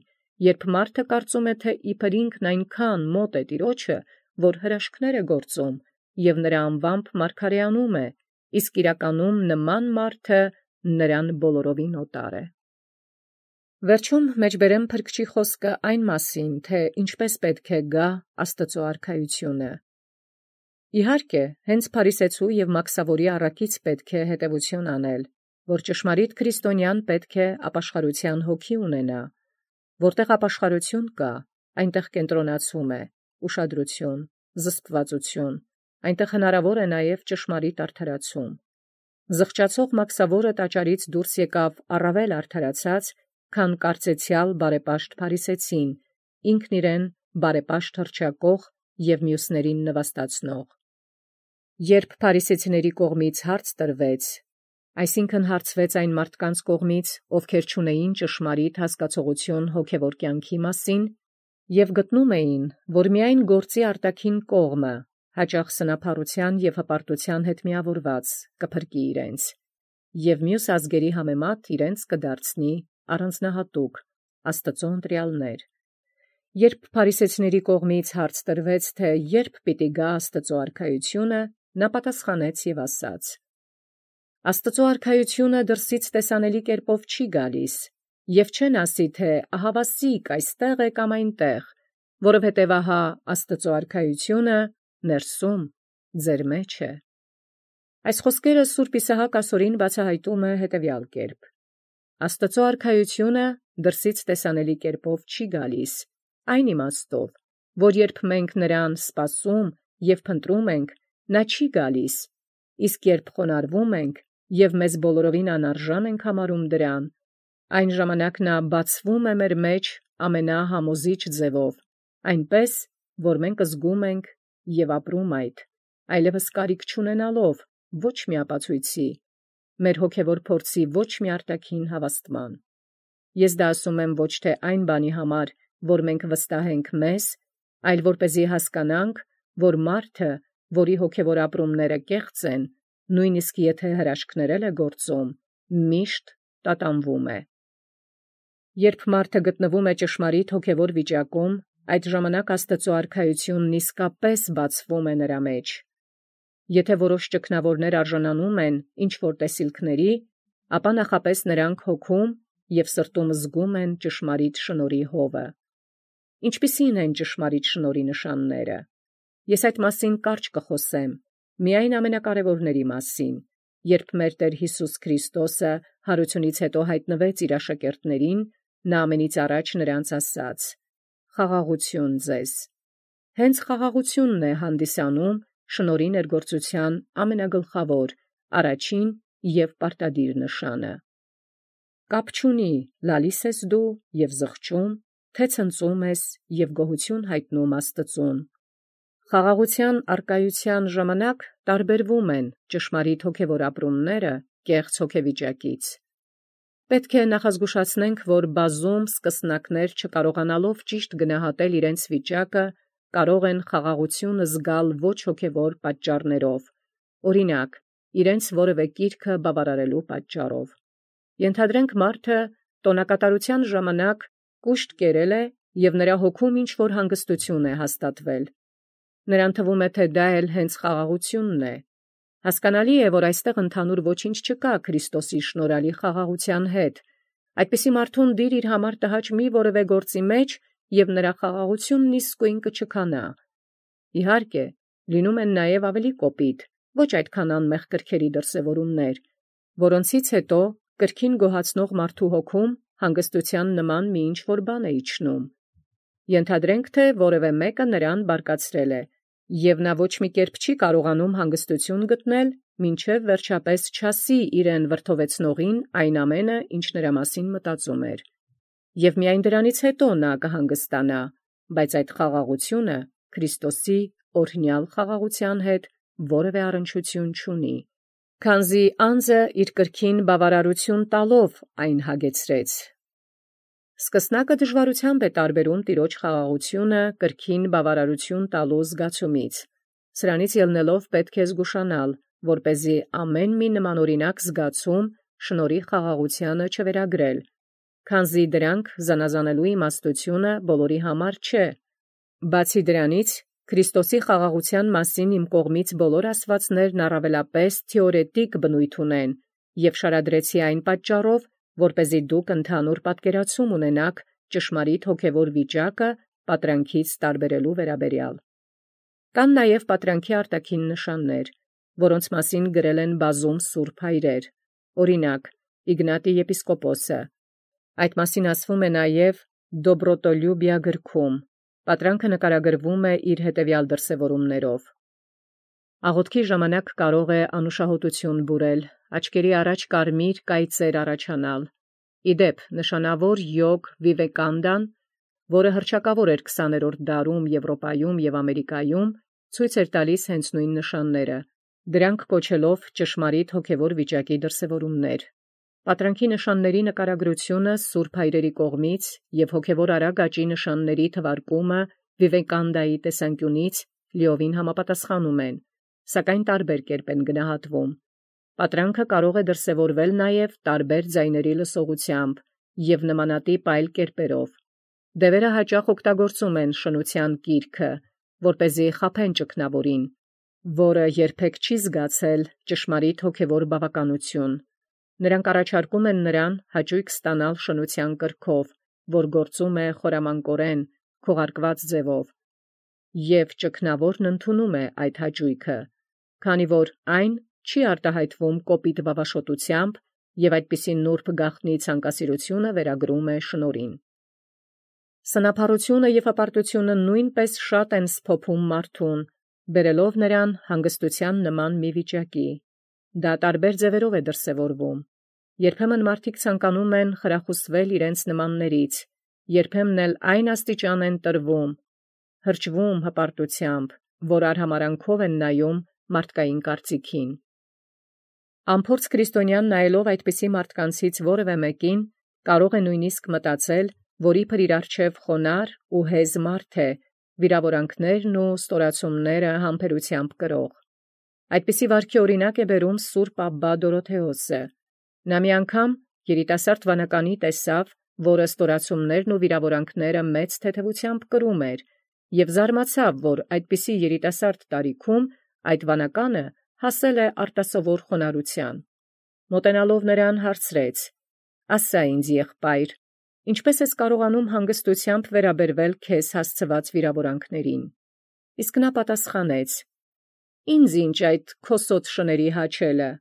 երբ մարդը կարծում է, թե իբր ինքն այնքան մոտ է Տիրոջը, որ հրաշքներ է գործում և նրա անվամբ մարգարեանում է, իսկ իրականում նման մարդը նրան բոլորովին օտար է։ Վերջում մեջբերեմ փրկչի խոսքը այն մասին, թե ինչպես պետք է գա Աստծո արքայությունը։ Իհարկե, հենց փարիսեցու և մաքսավորի առակից պետք է հետևություն անել, որ ճշմարիտ քրիստոնյան պետք է ապաշխարության հոգի ունենա։ Որտեղ ապաշխարություն կա, այնտեղ կենտրոնացում է, ուշադրություն, զսպվածություն, այնտեղ հնարավոր է նաև ճշմարիտ արդարացում։ Զղջացող մաքսավորը տաճարից դուրս եկավ առավել արդարացած, քան կարծեցյալ բարեպաշտ փարիսեցին, ինքն իրեն բարեպաշտ հռչակող և մյուսներին նվաստացնող։ Երբ փարիսեցիների կողմից հարց տրվեց, այսինքն հարցվեց այն մարդկանց կողմից, ովքեր չունեին ճշմարիտ հասկացողություն հոգևոր կյանքի մասին, և գտնում էին, որ միայն գործի արտաքին կողմը, հաճախ սնափառության և հպարտության հետ միավորված, կփրկի իրենց, և մյուս ազգերի համեմատ իրենց կդարձնի առանձնահատուկ, Աստծո ընտրյալներ։ Երբ փարիսեցիների կողմից հարց տրվեց, թե երբ պիտի գա Աստծո արքայությունը, նա պատասխանեց և ասաց. Աստծո արքայությունը դրսից տեսանելի կերպով չի գալիս, եւ չեն ասի, թե ահավասիկ այստեղ է կամ այնտեղ, որովհետև ահա Աստծո արքայությունը ներսում ձեր մեջ է։ Այս խոսքերը Սուրբ Իսահակ ասորին բացահայտում է հետևյալ կերպ. Աստծո արքայությունը դրսից տեսանելի կերպով չի գալիս, այն իմաստով, որ երբ մենք նրան սպասում եւ փնտրում ենք, նա չի գալիս, իսկ երբ խոնարհվում ենք եւ մեզ բոլորովին անարժան ենք համարում դրան, այն ժամանակ նա բացվում է մեր մեջ ամենահամոզիչ ձևով, այնպես, որ մենք զգում ենք եւ ապրում այդ, այլևս կարիք չունենալով ոչ մի ապացույցի, մեր հոգևոր փորձի ոչ մի արտաքին հավաստման։ Ես դա ասում եմ ոչ թե այն բանի համար, որ մենք վստահենք մեզ, այլ որպեսզի հասկանանք, որ մարդը, որի հոգևոր ապրումները կեղծ են, նույնիսկ եթե հրաշքներել է գործում, միշտ տատանվում է։ Երբ մարդը գտնվում է ճշմարիտ հոգևոր վիճակում, այդ ժամանակ Աստծո արքայությունն իսկապես բացվում է նրա մեջ։ Եթե որոշ ճգնավորներ արժանանում են ինչ-որ տեսիլքների, ապա նախապես նրանք հոգում և սրտում զգում են ճշմարիտ շնորհի հովը։ Ինչպիսի՞ն են ճշմարիտ շնորհի նշանները։ Ես այդ մասին կարճ կխոսեմ, միայն ամենակարևորների մասին, երբ մեր Տեր Հիսուս Քրիստոսը հարությունից հետո հայտնվեց իր աշակերտներին, նա ամենից առաջ նրանց ասաց. «Խաղաղություն ձեզ»։ Հենց խաղաղությունն է հանդիսանում շնորհի ներգործության ամենագլխավոր, առաջին և պարտադիր նշանը։ Կապ չունի լալիս ես դու և զղջում, թե ցնծում ես և գոհություն հայտնում Աստծուն։ Խաղաղության առկայության ժամանակ տարբերվում են ճշմարիտ հոգևոր ապրումները կեղծ հոգեվիճակից։ Պետք է նախազգուշացնենք, որ բազում սկսնակներ չկարողանալով ճիշտ գնահատել իրենց վիճակը, կարող են խաղաղություն զգալ ոչ հոգևոր պատճառներով, օրինակ, իրենց որևէ կիրքը բավարարելու պատճառով։ Ենթադրենք մարդը տոնակատարության ժամանակ կուշտ կերել է և նրա հոգում ինչ-որ հանգստություն է հաստատվել։ Նրան թվում է, թե դա էլ հենց խաղաղությունն է։ Հասկանալի է, որ այստեղ ընդհանուր ոչինչ չկա Քրիստոսի շնորհալի խաղաղության հետ։ Այդպիսի մարդուն դիր իր համար տհաճ մի որևէ գործի մեջ, և նրա խաղաղությունն իսկույն կչքանա։ Իհարկե, լինում են նաև ավելի կոպիտ, ոչ այդքան անմեղ կրքերի դրսևորումներ, որոնցից հետո կրքին գոհացնող մարդու հոգում հանգստության նման մի ինչ-որ բան է իջնում։ Ենթադրենք, թե որևէ մեկը նրան բարկացրել է, և նա ոչ մի կերպ չի կարողանում հանգստություն գտնել, մինչև վերջապես չասի իրեն վրդովեցնողին այն ամենը, ինչ նրա մասին մտածում էր։ Եվ միայն դրանից հետո նա կհանգստանա, բայց այդ խաղաղությունը Քրիստոսի օրհնյալ խաղաղության հետ որևէ առնչություն չունի, քանզի անձը իր կրքին բավարարություն տալով այն հագեցրեց։ Սկսնակը դժվարությամբ է տարբերում տիրոջ խաղաղությունը կրքին բավարարություն տալու զգացումից։ Սրանից ելնելով պետք է զգուշանալ, որպեսզի ամեն մի նմանօրինակ զգացում շնորհի խաղաղությանը չվերագրել, քանզի դրանք զանազանելու իմաստությունը բոլորի համար չէ։ Բացի դրանից, Քրիստոսի խաղաղության մասին իմ կողմից բոլոր ասվածներն առավելապես թեորետիկ բնույթ ունեն, և շարադրեցի այն պատճառով, որպեսզի դուք ընդհանուր պատկերացում ունենաք ճշմարիտ հոգևոր վիճակը պատրանքից տարբերելու վերաբերյալ։ Կան նաև պատրանքի արտաքին նշաններ, որոնց մասին գրել են բազում սուրբ հայրեր, օրինակ, Իգնատի եպիսկոպոսը։ Այդ մասին ասվում է նաև Դոբրոտոլյուբիա գրքում։ Պատրանքը նկարագրվում է իր հետևյալ դրսևորումներով։ Աղոթքի ժամանակ կարող է անուշահոտություն բուրել, աչքերի առաջ կարմիր կայծեր առաջանալ։ Իդեպ, նշանավոր յոգ Վիվեկանդան, որը հռչակավոր էր քսաներորդ դարում Եվրոպայում և Ամերիկայում, ցույց էր տալիս հենց նույն նշանները, դրանք կոչելով ճշմարիտ հոգևոր վիճակի դրսևորումներ։ Պատրանքի նշանների նկարագրությունը սուրբ հայրերի կողմից և հոգևոր արագ աճի նշանների թվարկումը Վիվեկանդայի տեսանկյունից լիովին համապատասխանում են, սակայն տարբեր կերպ են գնահատվում։ Պատրանքը կարող է դրսևորվել նաև տարբեր ձայների լսողությամբ և նմանատիպ այլ կերպերով։ Դևերը հաճախ օգտագործում են շնության կիրքը, որպեսզի խաբեն ճգնավորին, որը երբեք չի զգացել ճշմարիտ հոգևոր բավականություն։ Նրանք առաջարկում են նրան հաճույք ստանալ շնության կրքով, որ գործում է խորամանկորեն, քողարկված ձևով, եւ ճգնավորն ընդունում է այդ հաճույքը, քանի որ այն չի արտահայտվում կոպիտ բավաշոտությամբ եւ այդպիսի նուրբ գաղտնի ցանկասիրությունը վերագրում է շնորհին։ Սնափառությունը եւ հպարտությունը նույնպես շատ են սփոփում մարդուն, բերելով նրան հանգստության նման մի վիճակի։ Դա տարբեր ձևերով է դրսևորվում։ Երբեմն մարդիկ ցանկանում են խրախուսվել իրենց նմաններից, երբեմն էլ այն աստիճան են տրվում, հրճվում հպարտությամբ, որ արհամարանքով են նայում մարդկային կարծիքին։ Ամփորձ քրիստոնյան նայելով այդպիսի մարդկանցից որևէ մեկին, կարող է նույնիսկ մտածել, որ իբր իր առջև խոնար ու հեզ մարդ է, վիրավորանքներն ու ստորացումները համբերությամբ կրող։ Այդպիսի վարքի օրինակ է բերում Սուրբ Աբբա Դորոթեոսը։ Նա մի անգամ երիտասարդ վանականի տեսավ, որը ստորացումներն ու վիրավորանքները մեծ թեթևությամբ կրում էր, եւ զարմացավ, որ այդպիսի երիտասարդ տարիքում այդ վանականը հասել է արտասովոր խոնարհության։ Մոտենալով նրան հարցրեց. «Ասա ինձ, եղբայր, ինչպե՞ս ես կարողանում հանգստությամբ վերաբերվել քեզ հասցված վիրավորանքներին»։ Իսկ նա պատասխանեց. «Ինձ ինչ այդ քոսոտ շների հաչելը»։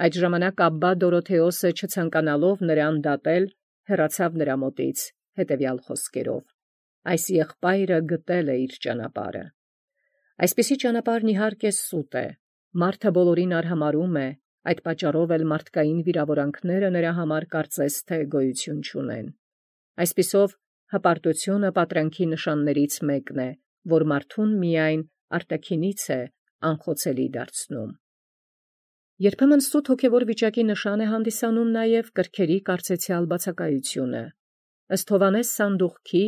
Այդ ժամանակ Աբբա Դորոթեոսը չցանկանալով նրան դատել, հեռացավ նրա մոտից հետևյալ խոսքերով. «Այս եղբայրը գտել է իր ճանապարհը»։ Այսպիսի ճանապարհն իհարկե սուտ է։ Մարդը բոլորին արհամարհում է, այդ պատճառով էլ մարդկային վիրավորանքները նրա համար կարծես թե գոյություն չունեն։ Այսպիսով հպարտությունը պատրանքի նշաններից մեկն է, որ մարդուն միայն արտաքինից է անխոցելի դարձնում։ Երբեմն սուտ հոգևոր վիճակի նշան է հանդիսանում նաև կրքերի կարծեցյալ բացակայությունը։ Ըստ Հովհաննես Սանդուղքի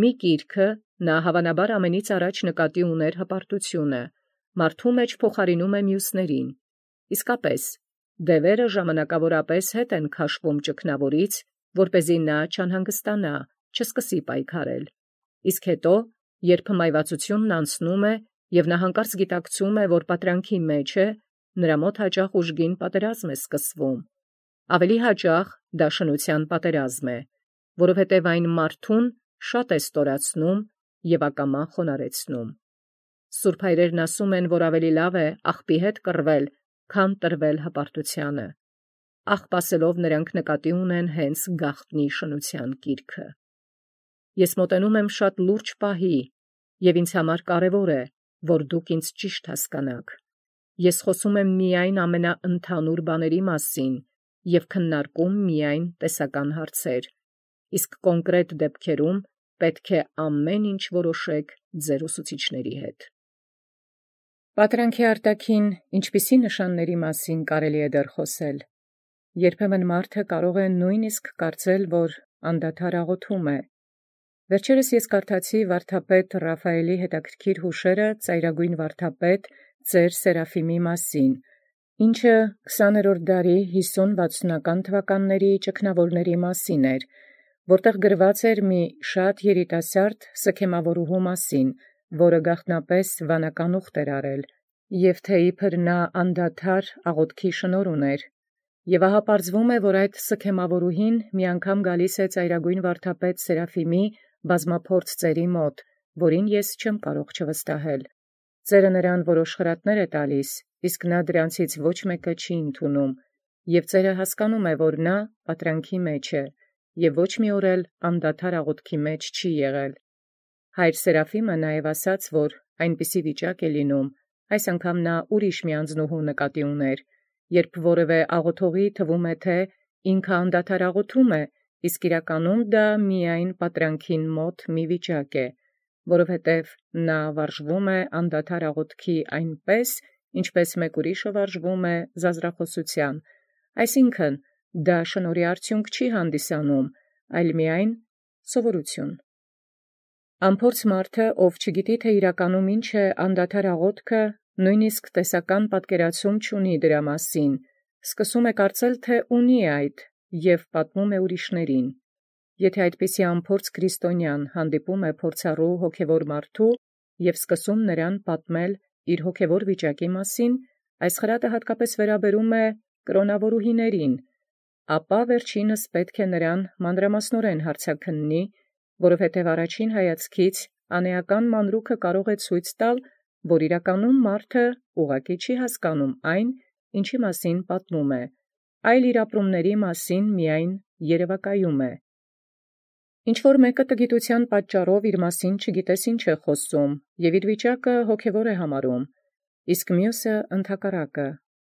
մի գիրքը նա հավանաբար ամենից առաջ նկատի ուներ հպարտությունը, մարդու մեջ փոխարինում է մյուսներին։ Իսկապես, դևերը ժամանակավորապես հետ են քաշվում ճգնավորից, որպեսզի նա չանհանգստանա, չսկսի պայքարել։ Իսկ հետո, երբ մայվածությունն անցնում է եւ նա հանկարծ գիտակցում է, որ պատրանքի մեջ է, նրա մոտ հաճախ ուժգին պատերազմ է սկսվում։ Ավելի հաճախ դա շնության պատերազմ է, որովհետև այն մարդուն շատ է ստորացնում եւ ակամա խոնարհեցնում։ Սուրբ հայրերն ասում են, որ ավելի լավ է աղբի հետ կռվել, քան տրվել հպարտությանը։ Աղբ ասելով նրանք նկատի ունեն հենց գաղտնի շնության կիրքը։ Ես մոտենում եմ շատ լուրջ պահի, եւ ինձ համար կարեւոր է, որ դուք ինձ ճիշտ հասկանաք։ Ես խոսում եմ միայն ամենաընդհանուր բաների մասին եւ քննարկում միայն տեսական հարցեր, իսկ կոնկրետ դեպքերում պետք է ամեն ինչ որոշեք ձեր ուսուցիչների հետ։ Պատրանքի արտաքին ինչպիսի նշանների մասին կարելի է դեռ խոսել։ Երբեմն մարդը կարող է նույնիսկ կարծել, որ անդադար աղոթում է։ Վերջերս ես կարդացի վարդապետ Ռաֆայելի հետաքրքիր հուշերը ծայրագույն վարդապետ ծեր Սերաֆիմի մասին, ինչը քսաներորդ դարի հիսուն-վաթսունական թվականների ճգնավորների մասին էր, որտեղ գրված էր մի շատ երիտասարդ սքեմավորուհու մասին, որը գաղտնապես վանական ուխտ էր արել, եւ թե իբր նա անդադար աղոթքի շնորհ ուներ։ Եւ ահա պարզվում է, որ այդ սքեմավորուհին մի անգամ գալիս է ծայրագույն վարդապետ Սերաֆիմի բազմափորձ ծերի մոտ, որին ես չեմ կարող չվստահել։ Ծերը նրան որոշ խրատներ է տալիս, իսկ նա դրանցից ոչ մեկը չի ընդունում, եւ ծերը հասկանում է, որ նա պատրանքի մեջ է, եւ ոչ մի օր էլ անդադար աղոթքի մեջ չի եղել։ Հայր Սերաֆիմը նաև ասաց, որ այնպիսի վիճակ է լինում, այս անգամ նա ուրիշ մի անձնուհու նկատի ուներ, երբ որևէ աղոթողի թվում է, թե ինքը անդադար աղոթում է, իսկ իրականում դա միայն պատրանքին մոտ մի վիճակ է, որովհետև նա վարժվում է անդադար աղոթքի այնպես, ինչպես մեկ ուրիշը վարժվում է զազրախոսության, այսինքն դա շնորհի արդյունք չի հանդիսանում, այլ միայն սովորություն։ Ամփորձ մարդը, ով չգիտի, թե իրականում ինչ է անդադար աղոթքը, նույնիսկ տեսական պատկերացում չունի դրա մասին, սկսում է կարծել, թե ունի այդ, եւ պատմում է ուրիշներին։ Եթե այդպիսի ամփորձ քրիստոնյան հանդիպում է փորձառու հոգևոր մարդու եւ սկսում նրան պատմել իր հոգևոր վիճակի մասին, այս խրատը հատկապես վերաբերում է կրոնավորուհիներին, ապա վերջինս պետք է նրան մանրամասնորեն հարցաքննի, որովհետև առաջին հայացքից անեական մանրուքը կարող է ցույց տալ, որ իրականում մարդը ուղղակի չի հասկանում այն, ինչի մասին պատմում է, այլ իր ապրումների մասին միայն երևակայում է։ Ինչ-որ մեկը տգիտության պատճառով իր մասին չգիտես ինչ է խոսում և իր վիճակը հոգևոր է համարում, իսկ մյուսը ընդհակառակը,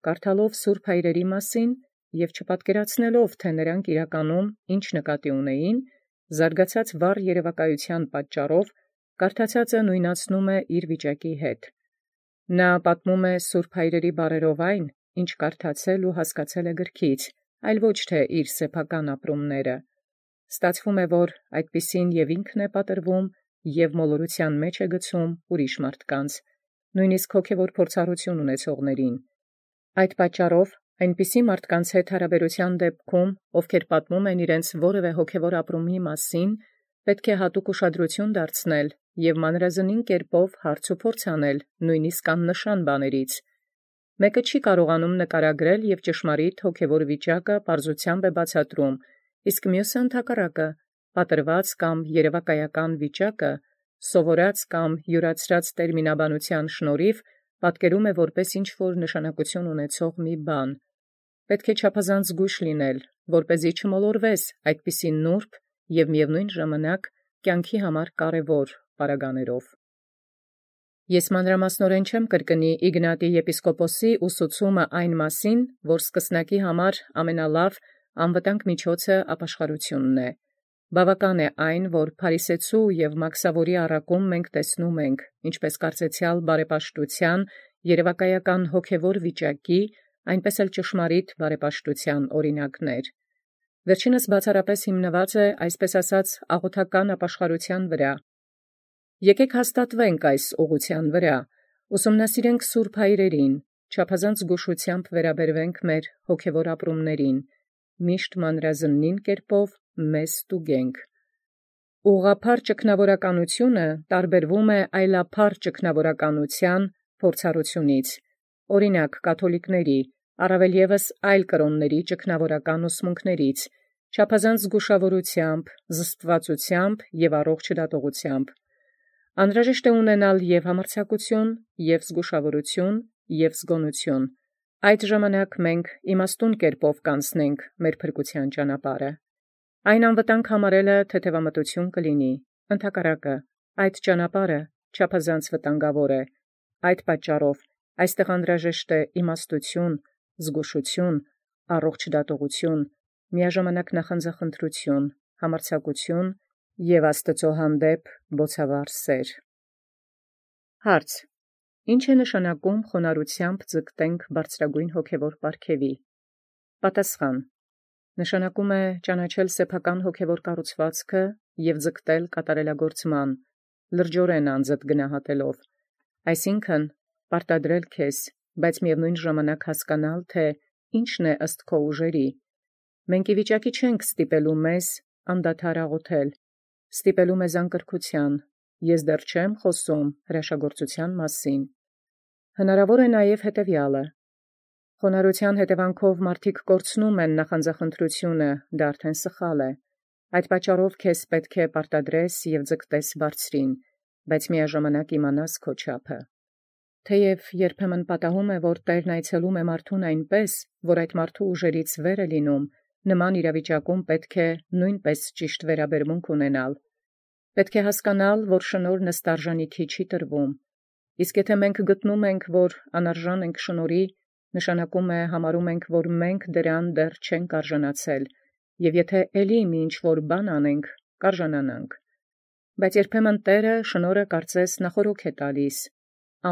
կարդալով սուրբ հայրերի մասին և չպատկերացնելով, թե նրանք իրականում ինչ նկատի ունեին, զարգացած վառ երևակայության պատճառով կարդացածը նույնացնում է իր վիճակի հետ։ Նա պատմում է սուրբ հայրերի բառերով այն, ինչ կարդացել ու հասկացել է գրքից, այլ ոչ թե իր սեփական ապրումները։ Ստացվում է, որ այդպիսին և ինքն է պատրվում և մոլորության մեջ է գցում ուրիշ մարդկանց, նույնիսկ հոգևոր փորձառություն ունեցողներին։ Այդ պատճառով այնպիսի մարդկանց հետ հարաբերության դեպքում, ովքեր պատմում են իրենց որևէ հոգևոր ապրումի մասին, պետք է հատուկ ուշադրություն դարձնել և մանրազնին կերպով հարց ու փորձ անել նույնիսկ աննշան բաներից։ Մեկը չի կարողանում նկարագրել և ճշմարիտ հոգևոր վիճակը պարզությամբ է բացատրում, իսկ մյուսը ընդհակառակը պատրված կամ երևակայական վիճակը սովորած կամ յուրացրած տերմինաբանության շնորհիվ պատկերում է որպես ինչ-որ նշանակություն ունեցող մի բան։ Պետք է չափազանց զգույշ լինել, որպեսզի չմոլորվես այդպիսի նուրբ և միևնույն ժամանակ կյանքի համար կարևոր պարագաներով։ Ես մանրամասնորեն չեմ կրկնի Իգնատի եպիսկոպոսի ուսուցումը այն մասին, որ սկսնակի համար ամենալավ անվտանգ միջոցը ապաշխարությունն է։ Բավական է այն, որ փարիսեցու և մաքսավորի առակում մենք տեսնում ենք, ինչպես կարծեցյալ բարեպաշտության, երևակայական հոգևոր վիճակի, այնպես էլ ճշմարիտ բարեպաշտության օրինակներ։ Վերջինս բացառապես հիմնված է, այսպես ասած, աղոթական ապաշխարության վրա։ Եկեք հաստատվենք այս ուղղության վրա, ուսումնասիրենք սուրբ հայրերին, չափազանց զգուշությամբ վերաբերվենք մեր հոգևոր ապրումներին, միշտ մանրազնին կերպով մեզ ստուգենք։ Ուղղափառ ճգնավորականությունը տարբերվում է այլափառ ճգնավորականության փորձառությունից, օրինակ կաթոլիկների, առավել ևս այլ կրոնների ճգնավորական ուսմունքներից, չափազանց զգուշավորությամբ, զսպվածությամբ և առողջ դատողությամբ։ Անհրաժեշտ է ունենալ և համարձակություն, և զգուշավորություն, և զգոնություն։ Այդ ժամանակ մենք իմաստուն կերպով կանցնենք մեր փրկության ճանապարհը։ Այն անվտանգ համարելը թեթևամտություն կլինի, ընդհակառակը, այդ ճանապարհը չափազանց վտանգավոր է։ Այդ պատճառով այստեղ անհրաժեշտ է իմաստություն, զգուշություն, առողջ դատողություն, միաժամանակ նախանձախնդրություն, համարձակություն և Աստծո հանդեպ բոցավառ սեր։ Հարց. Ինչ է նշանակում խոնարհությամբ ձգտենք բարձրագույն հոգևոր պարգևի։ Պատասխան. նշանակում է ճանաչել սեփական հոգևոր կառուցվածքը և ձգտել կատարելագործման, լրջորեն անձդ գնահատելով, այսինքն պարտադրել քեզ, բայց միևնույն ժամանակ հասկանալ, թե ինչն է ըստ քո ուժերի։ Մենք ի վիճակի չենք ստիպելու մեզ անդադար աղոթել, ստիպելու մեզ անկրքության, ես դեռ չեմ խոսում հրաշագործության մասին։ Հնարավոր է նաև հետևյալը. խոնարհության հետևանքով մարդիկ կորցնում են նախանձախնդրությունը, դա արդեն սխալ է։ Այդ պատճառով քեզ պետք է պարտադրես և ձգտես բարձրին, բայց միաժամանակ իմանաս քո չափը։ Թեև երբեմն պատահում է, որ Տերն այցելում է մարդուն այնպես, որ այդ մարդու ուժերից վեր է լինում, նման իրավիճակում պետք է նույնպես ճիշտ վերաբերմունք ունենալ։ Պետք է հասկանալ, որ շնորհն ըստ արժանիքի չի տրվում։ Իսկ եթե մենք գտնում ենք, որ անարժան ենք շնորհի, նշանակում է համարում ենք, որ մենք դրան դեռ չենք արժանացել, և եթե էլի մի ինչ-որ բան անենք, կարժանանանք։ Բայց երբեմն Տերը շնորհը կարծես նախօրոք է տալիս,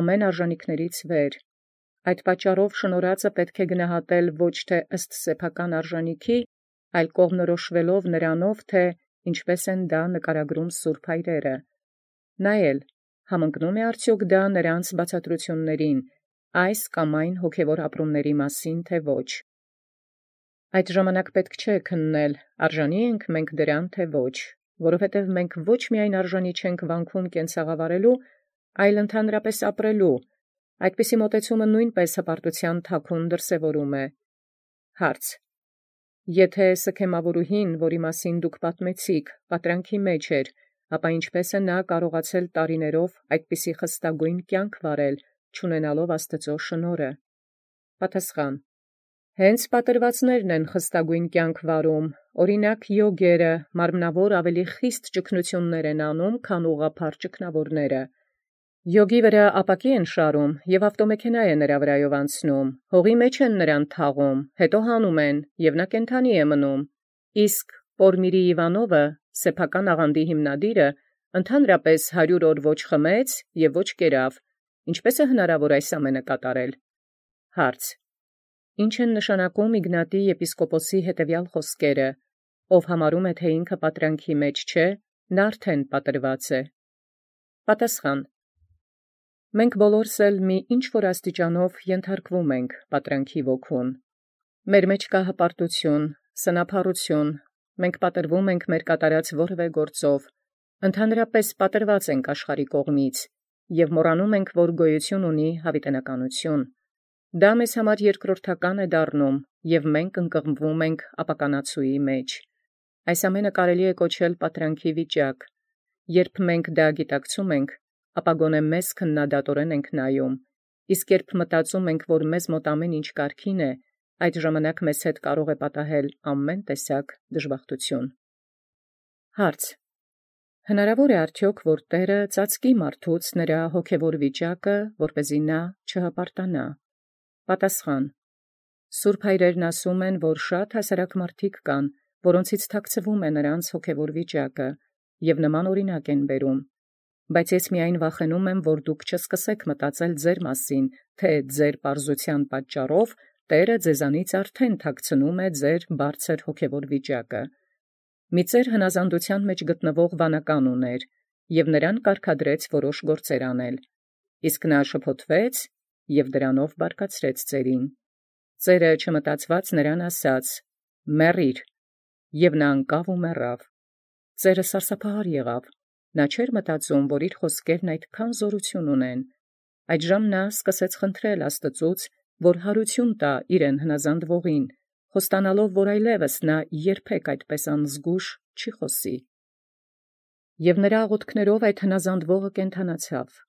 ամեն արժանիքներից վեր։ Այդ պատճառով շնորհածը պետք է գնահատել ոչ թե ըստ սեփական արժանիքի, այլ կողմնորոշվելով նրանով, թե ինչպես են դա նկարագրում սուրբ հայրերը։ Նայել, համընկնո՞ւմ է արդյոք դա նրանց բացատրություններին, այս կամ այն հոգևոր ապրումների մասին, թե ոչ։ Այդ ժամանակ պետք չէ քննել, արժանի ենք մենք դրան, թե ոչ, որովհետև մենք ոչ միայն արժանի չենք վանքում կենցաղավարելու, այլ ընդհանրապես ապրելու, Այդպիսի մոտեցումը նույնպես հպարտութեան թաքուն դրսևորում է։ Հարց. Եթե սքեմավորուհին, որի մասին դուք պատմեցիք, պատրանքի մեջ էր, ապա ինչպես է նա կարողացել տարիներով այդպիսի խստագույն կյանք վարել, չունենալով Աստծո շնորհը։ Պատասխան. Հենց պատրվածներն են խստագույն կյանք վարում, օրինակ յոգերը, մարմնավոր ավելի խիստ ճգնություններ են անում, քան ուղղափառ ճգնավորները։ Յոգի վրա ապակի են շարում և ավտոմեքենա է նրա վրայով անցնում, հողի մեջ են նրան թաղում, հետո հանում են, և նա կենդանի է մնում։ Իսկ Պորմիրի Իվանովը, սեփական աղանդի հիմնադիրը, ընդհանրապես հարյուր օր ոչ խմեց և ոչ կերավ, ինչպե՞ս է հնարավոր այս ամենը կատարել։ Հարց. Ինչ են նշանակում Իգնատի եպիսկոպոսի հետևյալ խոսքերը, ով համարում է, թե ինքը պատրանքի մեջ չէ, նա արդեն պատրված է։ Պատասխան. Մենք բոլորս էլ մի ինչ-որ աստիճանով ենթարկվում ենք պատրանքի ոգուն։ Մեր մեջ կա հպարտություն, սնափառություն, մենք պատրվում ենք մեր կատարած որևէ գործով, ընդհանրապես պատրված ենք աշխարհի կողմից և մոռանում ենք, որ գոյություն ունի հավիտենականություն։ Դա մեզ համար երկրորդական է դառնում, և մենք ընկղմվում ենք ապականացուի մեջ։ Այս ամենը կարելի է կոչել պատրանքի վիճակ։ Երբ մենք դա գիտակցում ենք, ապա գոնե մեզ քննադատորեն ենք նայում, իսկ երբ մտածում ենք, որ մեզ մոտ ամեն ինչ կարգին է, այդ ժամանակ մեզ հետ կարող է պատահել ամեն տեսակ դժբախտություն։ Հարց. Հնարավոր է արդյոք, որ Տերը ծածկի մարդուց նրա հոգևոր վիճակը, որպեսզի նա չհպարտանա։ Պատասխան. Սուրբ հայրերն ասում են, որ շատ հասարակ մարդիկ կան, որոնցից թաքցվում է նրանց հոգևոր վիճակը, և նման օրինակ են բերում։ Բայց ես միայն վախենում եմ, որ դուք չսկսեք մտածել ձեր մասին, թե ձեր պարզության պատճառով Տերը ձեզանից արդեն թաքցնում է ձեր բարձր հոգևոր վիճակը։ Մի ծեր հնազանդության մեջ գտնվող վանական ուներ, և նրան կարգադրեց որոշ գործեր անել, իսկ նա շփոթվեց և դրանով բարկացրեց ծերին։ Ծերը չմտածված նրան ասաց. «Մեռիր», և նա անկավ ու մեռավ։ Ծերը սարսափահար եղավ, նա չէր մտածում, որ իր խոսքերն այդքան զորություն ունեն։ Այդժամ նա սկսեց խնդրել Աստծուց, որ հարություն տա իրեն հնազանդվողին, խոստանալով, որ այլևս նա երբեք այդպես անզգույշ չի խոսի։ Եվ նրա աղոթքներով այդ հնազանդվողը կենդանացավ։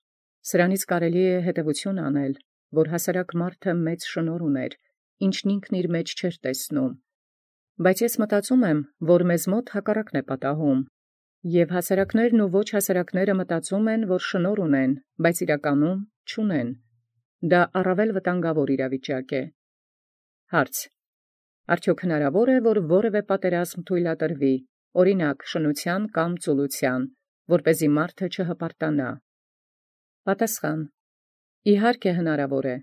Սրանից կարելի է հետևություն անել, որ հասարակ մարդը մեծ շնորհ ուներ, ինչն ինքն իր մեջ չէր տեսնում։ Բայց ես մտածում եմ, որ մեզ մոտ հակառակն է պատահում, և հասարակներն ու ոչ հասարակները մտածում են, որ շնորհ ունեն, բայց իրականում չունեն։ Դա առավել վտանգավոր իրավիճակ է։ Հարց. Արդյոք հնարավոր է, որ որևէ պատերազմ թույլատրվի, օրինակ շնության կամ ծուլության, որպեսզի մարդը չհպարտանա։ Պատասխան. Իհարկե հնարավոր է,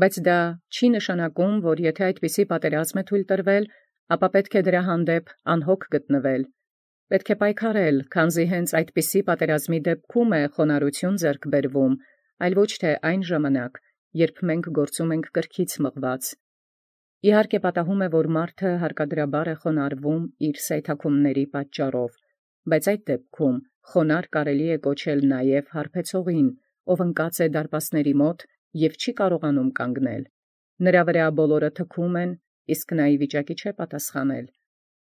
բայց դա չի նշանակում, որ եթե այդպիսի պատերազմ է թույլ տրվել, ապա պետք է դրա հանդեպ անհոգ գտնվել։ Պետք է պայքարել, քանզի հենց այդպիսի պատերազմի դեպքում է խոնարհություն ձեռք բերվում, այլ ոչ թե այն ժամանակ, երբ մենք գործում ենք կրքից մղված։ Իհարկե պատահում է, որ մարդը հարկադրաբար է խոնարհվում իր սայթաքումների պատճառով, բայց այդ դեպքում խոնարհ կարելի է կոչել նաև հարբեցողին, ով ընկած է դարպասների մոտ և չի կարողանում կանգնել։ Նրա վրա բոլորը թքում են, իսկ նա ի վիճակի չէ պատասխանել։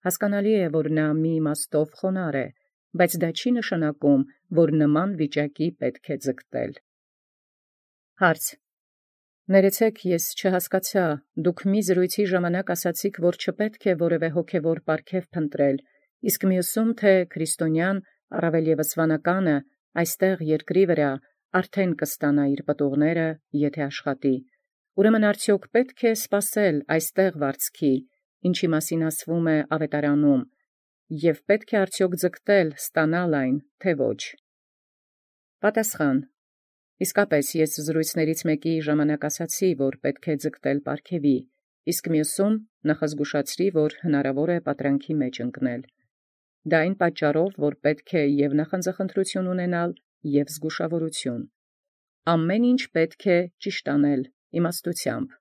Հասկանալի է, որ նա մի իմաստով խոնարհ է, բայց դա չի նշանակում, որ նման վիճակի պետք է ձգտել։ Հարց. Ներեցեք, ես չհասկացա, դուք մի զրույցի ժամանակ ասացիք, որ չպետք է որևէ հոգևոր պարգև փնտրել, իսկ մյուսում, թե քրիստոնյան, առավել ևս վանականը, այստեղ երկրի վրա արդեն կստանա իր պտուղները, եթե աշխատի։ Ուրեմն արդյոք պետք է սպասել այստեղ վարձքի, ինչի մասին ասվում է ավետարանում, և պետք է արդյոք ձգտել ստանալ այն, թե ոչ։ Պատասխան. Իսկապես ես զրույցներից մեկի ժամանակ ասացի, որ պետք է ձգտել պարգևի, իսկ մյուսում նախազգուշացրի, որ հնարավոր է պատրանքի մեջ ընկնել։ Դա այն պատճառով, որ պետք է և նախանձախնդրություն ունենալ, և զգուշավորություն։ Ամեն ինչ պետք է ճիշտ անել իմաստությամբ։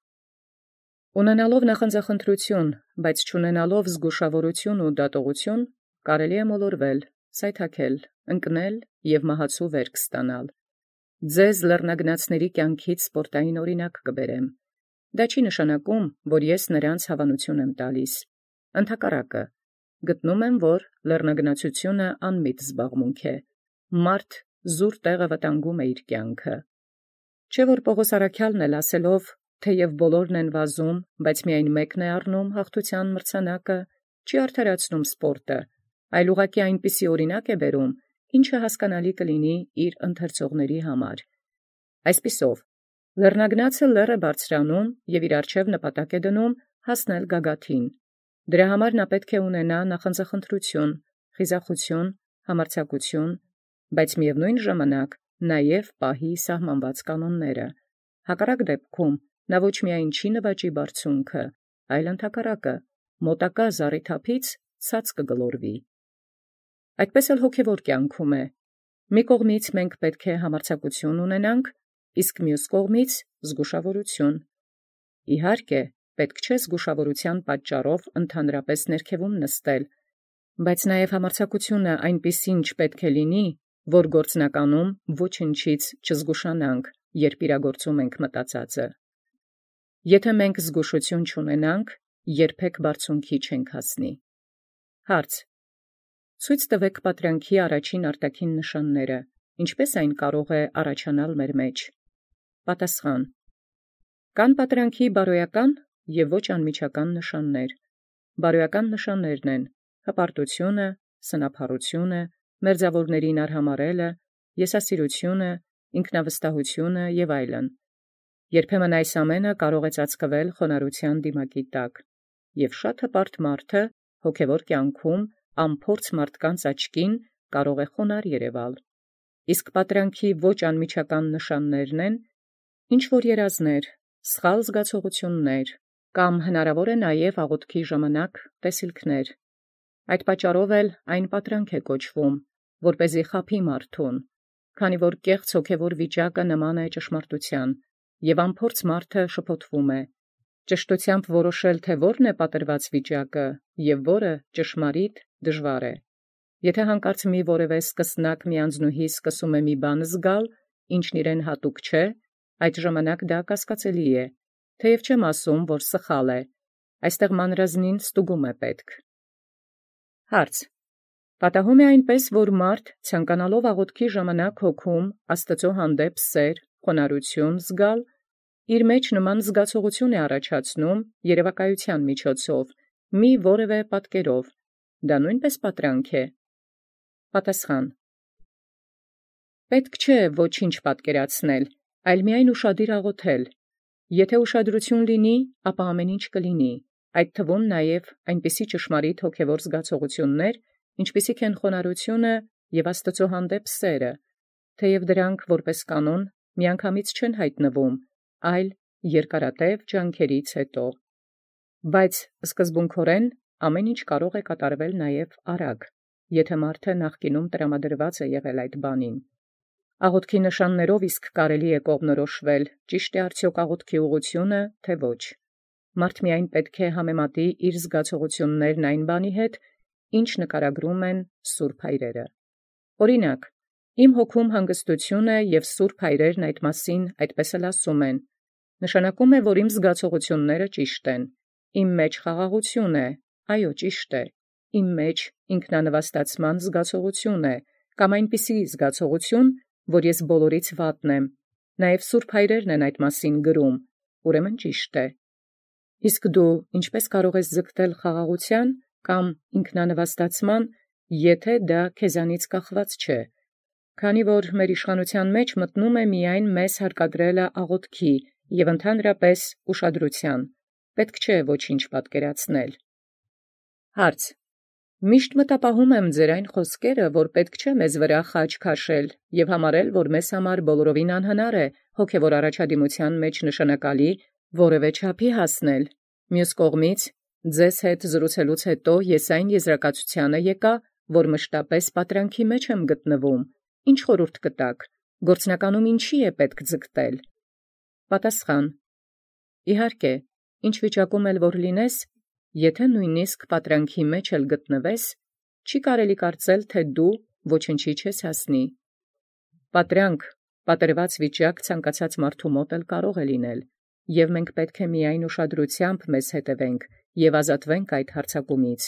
Ունենալով նախանձախնդրություն, բայց չունենալով զգուշավորություն ու դատողություն, կարելի է մոլորվել, սայթաքել, ընկնել և մահացու վերք ստանալ։ ձեզ լեռնագնացների կյանքից սպորտային օրինակ կբերեմ։ Դա չի նշանակում, որ ես նրանց հավանություն եմ տալիս։ Ընդհակառակը, գտնում եմ, որ լեռնագնացությունը անմիտ զբաղմունք է։ Մարդ զուր տեղը վտանգում է իր կյանքը։ Չէ՞ որ Պողոս առաքյալն էլ ասելով, թեև բոլորն են վազում, բայց միայն մեկն է առնում հաղթության մրցանակը, չի արդարացնում սպորտը, այլ ուղղակի այնպիսի օրինակ է բերում, ինչը հասկանալի կլինի իր ընթերցողների համար։ Այսպիսով, լեռնագնացը լեռ է բարձրանում և իր առջև նպատակ է դնում հասնել գագաթին։ Դրա համար նա պետք է ունենա նախանձախնդրություն, խիզախություն, համարձակություն, բայց միևնույն ժամանակ նաև պահի սահմանված կանոնները։ Հակառակ դեպքում նա ոչ միայն չի նվաճի բարձունքը, այլ ընդհակառակը մոտակա զառիթափից ցած կգլորվի։ Այդպես էլ հոգևոր կյանքում է։ Մի կողմից մենք պետք է համարձակություն ունենանք, իսկ մյուս կողմից զգուշավորություն։ Իհարկե, պետք չէ զգուշավորության պատճառով ընդհանրապես ներքևում նստել, բայց նաև համարձակությունը այնպիսին չպետք է լինի, որ գործնականում ոչնչից չզգուշանանք, երբ իրագործում ենք մտածածը։ Եթե մենք զգուշություն չունենանք, երբեք բարձունքի չենք հասնի։ Հարց. Ցույց տվեք պատրանքի առաջին արտաքին նշանները, ինչպես այն կարող է առաջանալ մեր մեջ։ Պատասխան. Կան պատրանքի բարոյական և ոչ անմիջական նշաններ։ Բարոյական նշաններն են հպարտությունը, սնափառությունը, մերձավորներին արհամարհելը, եսասիրությունը, ինքնավստահությունը և այլն։ Երբեմն այս ամենը կարող է ծածկվել խոնարհության դիմակի տակ, և շատ հպարտ մարդը հոգևոր կյանքում անփորձ մարդկանց աչքին կարող է խոնարհ երևալ։ Իսկ պատրանքի ոչ անմիջական նշաններն են ինչ-որ երազներ, սխալ զգացողություններ, կամ հնարավոր է նաև աղոթքի ժամանակ տեսիլքներ։ Այդ պատճառով էլ այն պատրանք է կոչվում, որպեսզի խաբի մարդուն, քանի որ կեղծ հոգևոր վիճակը նման է ճշմարտության, և անփորձ մարդը շփոթվում է։ Ճշտությամբ որոշել, թե որն է պատրված վիճակը և որը ճշմարիտ դժվար է։ Եթե հանկարծ մի որևէ սկսնակ մի անձնուհի սկսում է մի բան զգալ, ինչն իրեն հատուկ չէ, այդ ժամանակ դա կասկածելի է, թեև չեմ ասում, որ սխալ է, այստեղ մանրազնին ստուգում է պետք։ Հարց. Պատահում է այնպես, որ մարդ ցանկանալով աղոթքի ժամանակ հոգում Աստծո հանդեպ սեր, խոնարհություն զգալ, իր մեջ նման զգացողություն է առաջացնում երևակայության միջոցով, մի որևէ պատկերով, դա նույնպես պատրանք է։ Պատասխան. Պետք չէ ոչինչ պատկերացնել, այլ միայն ուշադիր աղոթել։ Եթե ուշադրություն լինի, ապա ամեն ինչ կլինի, այդ թվում նաև այնպիսի ճշմարիտ հոգևոր զգացողություններ, ինչպիսիք են խոնարհությունը և Աստծո հանդեպ սերը, թեև դրանք որպես կանոն միանգամից չեն հայտնվում, այլ երկարատև ջանքերից հետո։ Բայց սկզբունքորեն ամեն ինչ կարող է կատարվել նաև արագ, եթե մարդը նախկինում տրամադրված է եղել այդ բանին։ Աղոթքի նշաններով իսկ կարելի է կողմնորոշվել, ճիշտ է արդյոք աղոթքի ուղղությունը, թե ոչ։ Մարդ միայն պետք է համեմատի իր զգացողություններն այն բանի հետ, ինչ նկարագրում են սուրբ հայրերը։ Օրինակ, իմ հոգում հանգստություն է, և սուրբ հայրերն այդ մասին այդպես էլ ասում են։ Նշանակում է, որ իմ զգացողությունները ճիշտ են։ Իմ մեջ խաղաղություն է, այո, ճիշտ է։ Իմ մեջ ինքնանվաստացման զգացողություն է, կամ այնպիսի զգացողություն, որ ես բոլորից վատն եմ։ Նաև սուրբ հայրերն են այդ մասին գրում, ուրեմն ճիշտ է։ Իսկ դու ինչպես կարող ես ձգտել խաղաղության կամ ինքնանվաստացման, եթե դա քեզանից կախված չէ, քանի որ մեր իշխանության մեջ մտնում է միայն մեզ հարկադրելը աղոթքի և ընդհանրապես ուշադրության, պետք չէ ոչինչ պատկերացնել։ Հարց. Միշտ մտապահում եմ ձեր այն խոսքերը, որ պետք չէ մեզ վրա խաչ քաշել և համարել, որ մեզ համար բոլորովին անհնար է հոգևոր առաջադիմության մեջ նշանակալի որևէ չափի հասնել։ Մյուս կողմից, ձեզ հետ զրուցելուց հետո ես այն եզրակացությանը եկա, որ մշտապես պատրանքի մեջ եմ գտնվում։ Ինչ խորհուրդ կտաք, գործնականում ինչի է պետք ձգտել։ Պատասխան. Իհարկե, ինչ վիճակում էլ որ լինես, եթե նույնիսկ պատրանքի մեջ էլ գտնվես, չի կարելի կարծել, թե դու ոչնչի չես հասնի։ Պատրանք, պատրված վիճակ ցանկացած մարդու մոտ էլ կարող է լինել, եւ մենք պետք է միայն ուշադրությամբ մեզ հետևենք եւ ազատվենք այդ հարձակումից։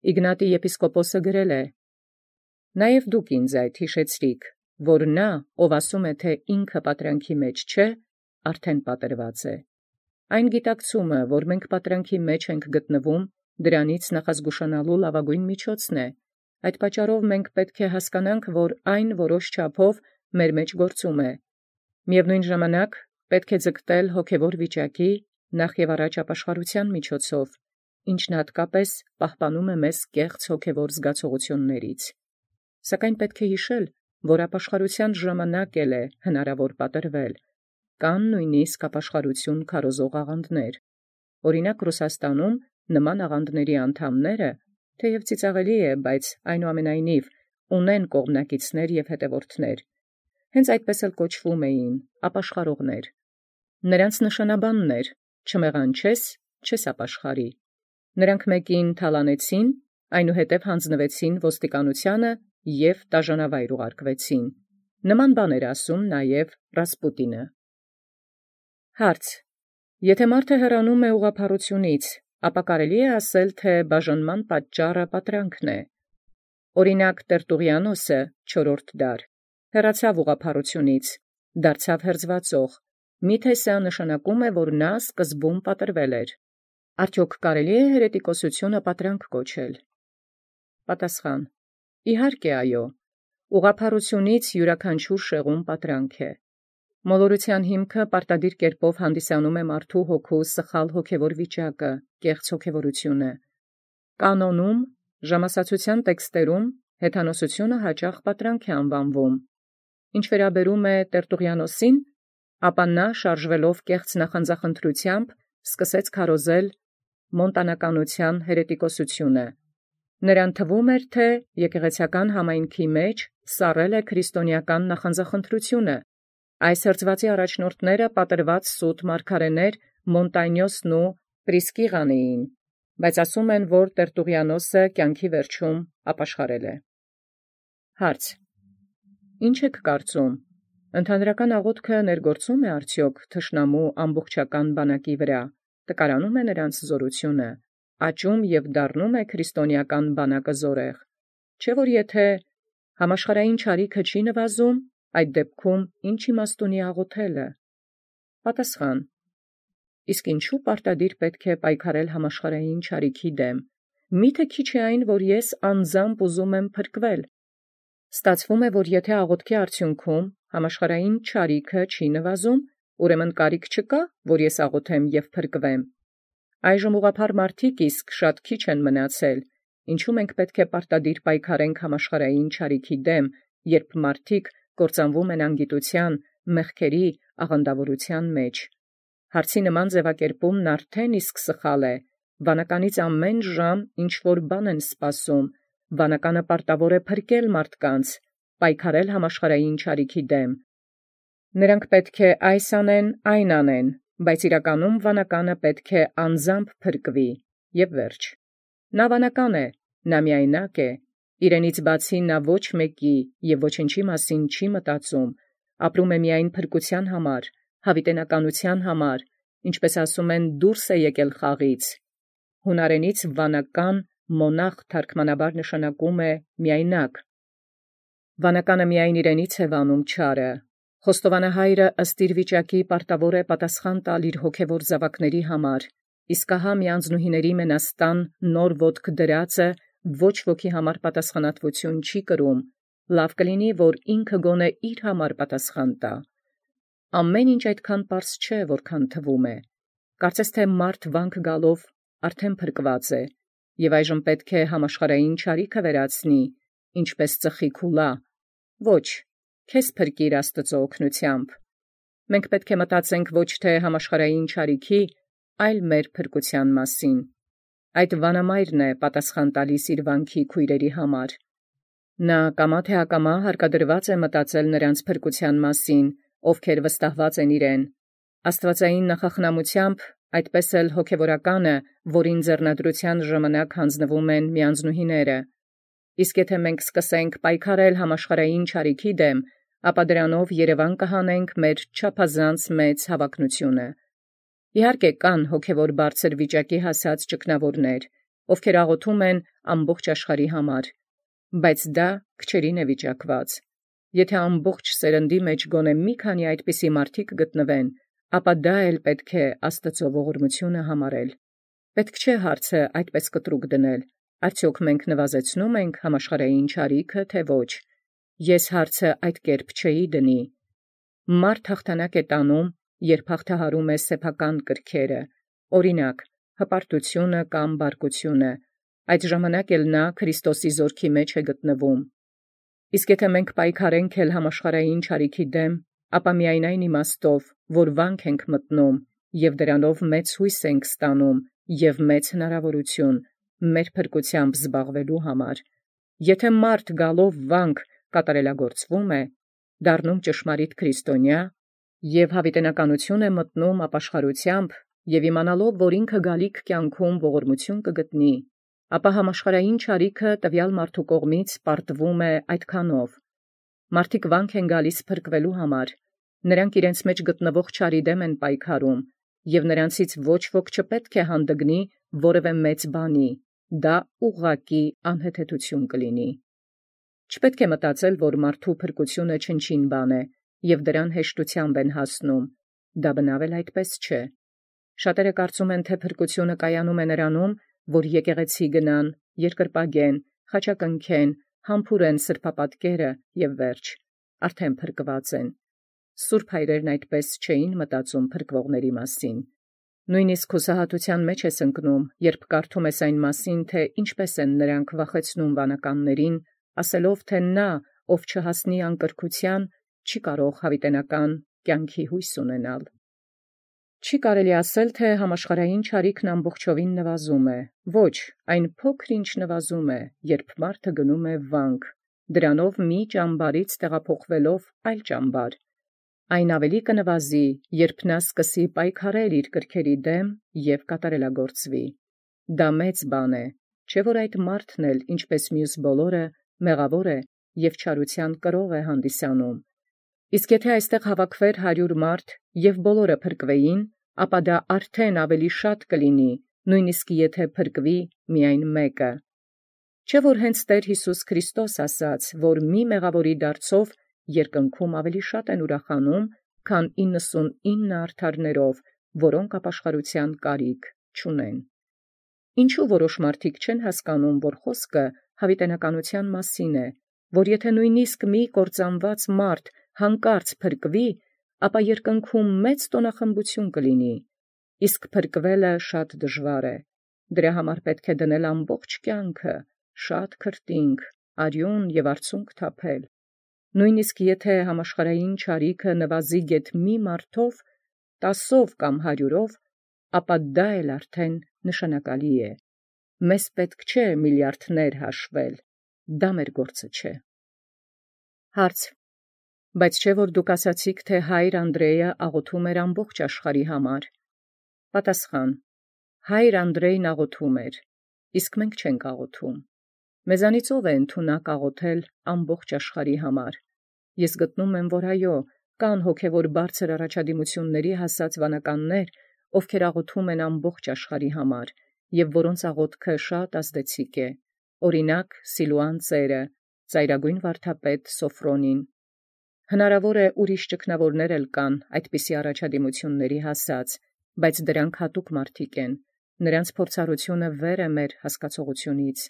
Իգնատի եպիսկոպոսը գրել է. «Նաեւ դուք ինձ այդ հիշեցրիք, որ նա, ով ասում է, թե ինքը պատրանքի մեջ չէ, արդեն պատրված է։ Այն գիտակցումը, որ մենք պատրանքի մեջ ենք գտնվում, դրանից նախազգուշանալու լավագույն միջոցն է։ Այդ պատճառով մենք պետք է հասկանանք, որ այն որոշ չափով մեր մեջ գործում է։ Միևնույն ժամանակ պետք է ձգտել հոգևոր վիճակի նախ եւ առաջ ապաշխարության միջոցով, ինչն հատկապես պահպանում է մեզ կեղծ հոգևոր զգացողություններից։ Սակայն պետք է հիշել, որ ապաշխարության ժամանակ էլ է հնարավոր պատրվել, կան նույնիսկ ապաշխարություն քարոզող աղանդներ։ Օրինակ Ռուսաստանում նման աղանդների անդամները, թեև ծիծաղելի է, բայց այնուամենայնիվ ունեն կողմնակիցներ եւ հետևորդներ, հենց այդպես էլ կոչվում էին ապաշխարողներ։ Նրանց նշանաբանն էր. չմեղանչես, չես ապաշխարի։ Նրանք մեկին թալանեցին, այնուհետև հանձնվեցին ոստիկանությանը եւ դաժանավայր ուղարկվեցին։ Նման բան էր ասում նաեւ Ռասպուտինը։ Հարց. Եթե մարդը հեռանում է ուղղափառությունից, ապա կարելի է ասել, թե բաժանման պատճառը պատրանքն է։ Օրինակ Տերտուղիանոսը չորրորդ դար հեռացավ ուղղափառությունից, դարձավ հերձվածող։ Միթե սա նշանակում է, որ նա սկզբում պատրվել էր։ Արդյոք կարելի է հերետիկոսությունը պատրանք կոչել։ Պատասխան. Իհարկե այո։ Ուղղափառությունից յուրաքանչյուր շեղում պատրանք է։ Մոլորության հիմքը պարտադիր կերպով հանդիսանում է մարդու հոգու սխալ հոգևոր վիճակը, կեղծ հոգևորությունը։ Կանոնում, ժամասացության տեքստերում հեթանոսությունը հաճախ պատրանք է անվանվում։ Ինչ վերաբերում է Տերտուղիանոսին, ապա նա շարժվելով կեղծ նախանձախնդրությամբ սկսեց քարոզել մոնտանականության հերետիկոսությունը։ Նրան թվում էր, թե եկեղեցական համայնքի մեջ սառել է քրիստոնեական նախանձախնդրությունը։ Այս հրձվածի առաջնորդները պատրված սուտ մարգարեներ Մոնտանյոսն ու Պրիսկիղան էին, բայց ասում են, որ Տերտուղիանոսը կյանքի վերջում ապաշխարել է։ Հարց. Ինչ եք կարծում, ընդհանրական աղոթքը ներգործում է արդյոք թշնամու ամբողջական բանակի վրա, տկարանում է նրանց զորությունը, աճում եւ դառնում է քրիստոնեական բանակը զորեղ, չէ՞ որ եթե համաշխարհային չարիքը չի նվազում, այդ դեպքում ինչ իմաստ ունի աղոթելը։ Պատասխան. Իսկ ինչու պարտադիր պետք է պայքարել համաշխարհային չարիքի դեմ։ Միթե քիչ է այն, որ ես անձամբ ուզում եմ փրկվել։ Ստացվում է, որ եթե աղոթքի արդյունքում համաշխարհային չարիքը չի նվազում, ուրեմն կարիք չկա, որ ես աղոթեմ եւ փրկվեմ։ Այժմ ուղղափառ մարդիկ իսկ շատ քիչ են մնացել, ինչու մենք պետք է պարտադիր պայքարենք համաշխարհային չարիքի դեմ, երբ մարդիկ կործանվում են անգիտության, մեղքերի, աղանդավորության մեջ։ Հարցի նման ձևակերպումն արդեն իսկ սխալ է։ Վանականից ամեն ժամ ինչ որ բան են սպասում, վանականը պարտավոր է փրկել մարդկանց, պայքարել համաշխարհային չարիքի դեմ։ Նրանք պետք է այս անեն, այն անեն, բայց իրականում վանականը պետք է անձամբ փրկվի, եւ վերջ։ Նա վանական է, նա միայնակ է, իրենից բացի նա ոչ մեկի եւ ոչինչի մասին չի մտածում, ապրում է միայն փրկության համար, հավիտենականության համար, ինչպես ասում են, դուրս է եկել խաղից։ Հունարենից վանական մոնախ թարգմանաբար նշանակում է միայնակ։ Վանականը միայն իրենից է վանում չարը։ Խոստովանահայրը ըստ իր վիճակի պարտավոր է պատասխան տալ իր հոգևոր զավակների համար, իսկ ահա միանձնուհիների մենաստան նոր ոտք դրածը ոչ ոքի համար պատասխանատվություն չի կրում, լավ կլինի, որ ինքը գոնե իր համար պատասխան տա։ Ամեն ինչ այդքան պարզ չէ, որքան թվում է։ Կարծես թե մարդ վանք գալով արդեն փրկված է, եւ այժմ պետք է համաշխարհային չարիքը վերացնի, ինչպես ծխի քուլա։ Ոչ, քեզ փրկիր Աստծո օգնությամբ։ Մենք պետք է մտածենք ոչ թե համաշխարհային չարիքի, այլ մեր փրկության մասին։ Այդ վանամայրն է պատասխան տալիս իր վանքի քույրերի համար։ Նա կամա թե ակամա հարկադրված է մտածել նրանց փրկության մասին, ովքեր վստահված են իրեն։ Աստվածային նախախնամությամբ այդպես էլ հոգևորականը, որին ձեռնադրության ժամանակ հանձնվում են միանձնուհիները։ Իսկ եթե մենք սկսենք պայքարել համաշխարհային չարիքի դեմ, ապա դրանով երևան կհանենք մեր չափազանց մեծ հավակնությունը։ Իհարկե կան հոգևոր բարձր վիճակի հասած ճգնավորներ, ովքեր աղոթում են ամբողջ աշխարհի համար, բայց դա քչերին է վիճակված։ Եթե ամբողջ սերնդի մեջ գոնե մի քանի այդպիսի մարդիկ գտնվեն, ապա դա էլ պետք է Աստծո ողորմությունը համարել։ Պետք չէ հարցը այդպես կտրուկ դնել, արդյոք մենք նվազեցնում ենք համաշխարհային չարիքը, թե ոչ։ Ես հարցը այդ կերպ չէի դնի։ Մարդ հաղթանակ է տանում, երբ հաղթահարում է սեփական կրքերը, օրինակ, հպարտությունը կամ բարկությունը, այդ ժամանակ էլ նա Քրիստոսի զորքի մեջ է գտնվում։ Իսկ եթե մենք պայքարենք էլ համաշխարհային չարիքի դեմ, ապա միայն այն իմաստով, որ վանք ենք մտնում և դրանով մեծ հույս ենք ստանում և մեծ հնարավորություն մեր փրկությամբ զբաղվելու համար։ Եթե մարդ գալով վանք կատարելագործվում է, դառնում ճշմարիտ քրիստոնյա և հավիտենականություն է մտնում ապաշխարությամբ և իմանալով, որ ինքը գալիք կյանքում ողորմություն կգտնի, ապա համաշխարհային չարիքը տվյալ մարդու կողմից պարտվում է այդքանով։ Մարդիկ վանք են գալիս փրկվելու համար, նրանք իրենց մեջ գտնվող չարի դեմ են պայքարում, և նրանցից ոչ ոք չպետք է հանդգնի որևէ մեծ բանի, դա ուղղակի անհեթեթություն կլինի։ Չպետք է մտածել, որ մարդու փրկությունը չնչին բան է, և դրան հեշտությամբ են հասնում, դա բնավ էլ այդպես չէ։ Շատերը կարծում են, թե փրկությունը կայանում է նրանում, որ եկեղեցի գնան, երկրպագեն, խաչակնքեն, համբուրեն սրբապատկերը և վերջ, արդեն փրկված են։ Սուրբ հայրերն այդպես չէին մտածում փրկվողների մասին։ Նույնիսկ հուսահատության մեջ ես ընկնում, երբ կարդում ես այն մասին, թե ինչպես են նրանք վախեցնում վանականներին, ասելով, թե նա, ով չհասնի անկրքության, չի կարող հավիտենական կյանքի հույս ունենալ։ Չի կարելի ասել, թե համաշխարհային չարիքն ամբողջովին նվազում է։ Ոչ, այն փոքր ինչ նվազում է, երբ մարդը գնում է վանք, դրանով մի ճամբարից տեղափոխվելով այլ ճամբար։ Այն ավելի կնվազի, երբ նա սկսի պայքարել իր կրքերի դեմ և կատարելագործվի։ Դա մեծ բան է, չէ՞ որ այդ մարդն էլ, ինչպես մյուս բոլորը, մեղավոր է և չարության կրող է հանդիսանում։ Իսկ եթե այստեղ հավաքվեր հարյուր մարդ և բոլորը փրկվեին, ապա դա արդեն ավելի շատ կլինի, նույնիսկ եթե փրկվի միայն մեկը։ Չէ՞ որ հենց Տեր Հիսուս Քրիստոս ասաց, որ մի մեղավորի դարձով երկնքում ավելի շատ են ուրախանում, քան իննսունինը արդարներով, որոնք ապաշխարության կարիք չունեն։ Ինչու որոշ մարդիկ չեն հասկանում, որ խոսքը հավիտենականության մասին է, որ եթե նույնիսկ մի կործանված մարդ հանկարծ փրկվի, ապա երկնքում մեծ տոնախմբություն կլինի, իսկ փրկվելը շատ դժվար է։ Դրա համար պետք է դնել ամբողջ կյանքը, շատ քրտինք, արյուն և արցունք թափել։ Նույնիսկ եթե համաշխարհային չարիքը նվազի գեթ մի մարդով, տասով կամ հարյուրով, ապա դա էլ արդեն նշանակալի է։ Մեզ պետք չէ միլիարդներ հաշվել, դա մեր գործը չէ։ Հարց. բայց չէ՞ որ դուք ասացիք, թե հայր Անդրեյը աղոթում էր ամբողջ աշխարհի համար։ Պատասխան. հայր Անդրեյն աղոթում էր, իսկ մենք չենք աղոթում։ Մեզանից ով է ընդունակ աղոթել ամբողջ աշխարհի համար։ Ես գտնում եմ, որ այո, կան հոգևոր բարձր առաջադիմությունների հասած վանականներ, ովքեր աղոթում են ամբողջ աշխարհի համար, և որոնց աղոթքը շատ ազդեցիկ է, օրինակ Սիլուան ծերը, ծայրագույն վարդապետ Սոֆրոնին։ Հնարավոր է ուրիշ ճգնավորներ էլ կան այդպիսի առաջադիմությունների հասած, բայց դրանք հատուկ մարդիկ են, նրանց փորձառությունը վեր է մեր հասկացողությունից,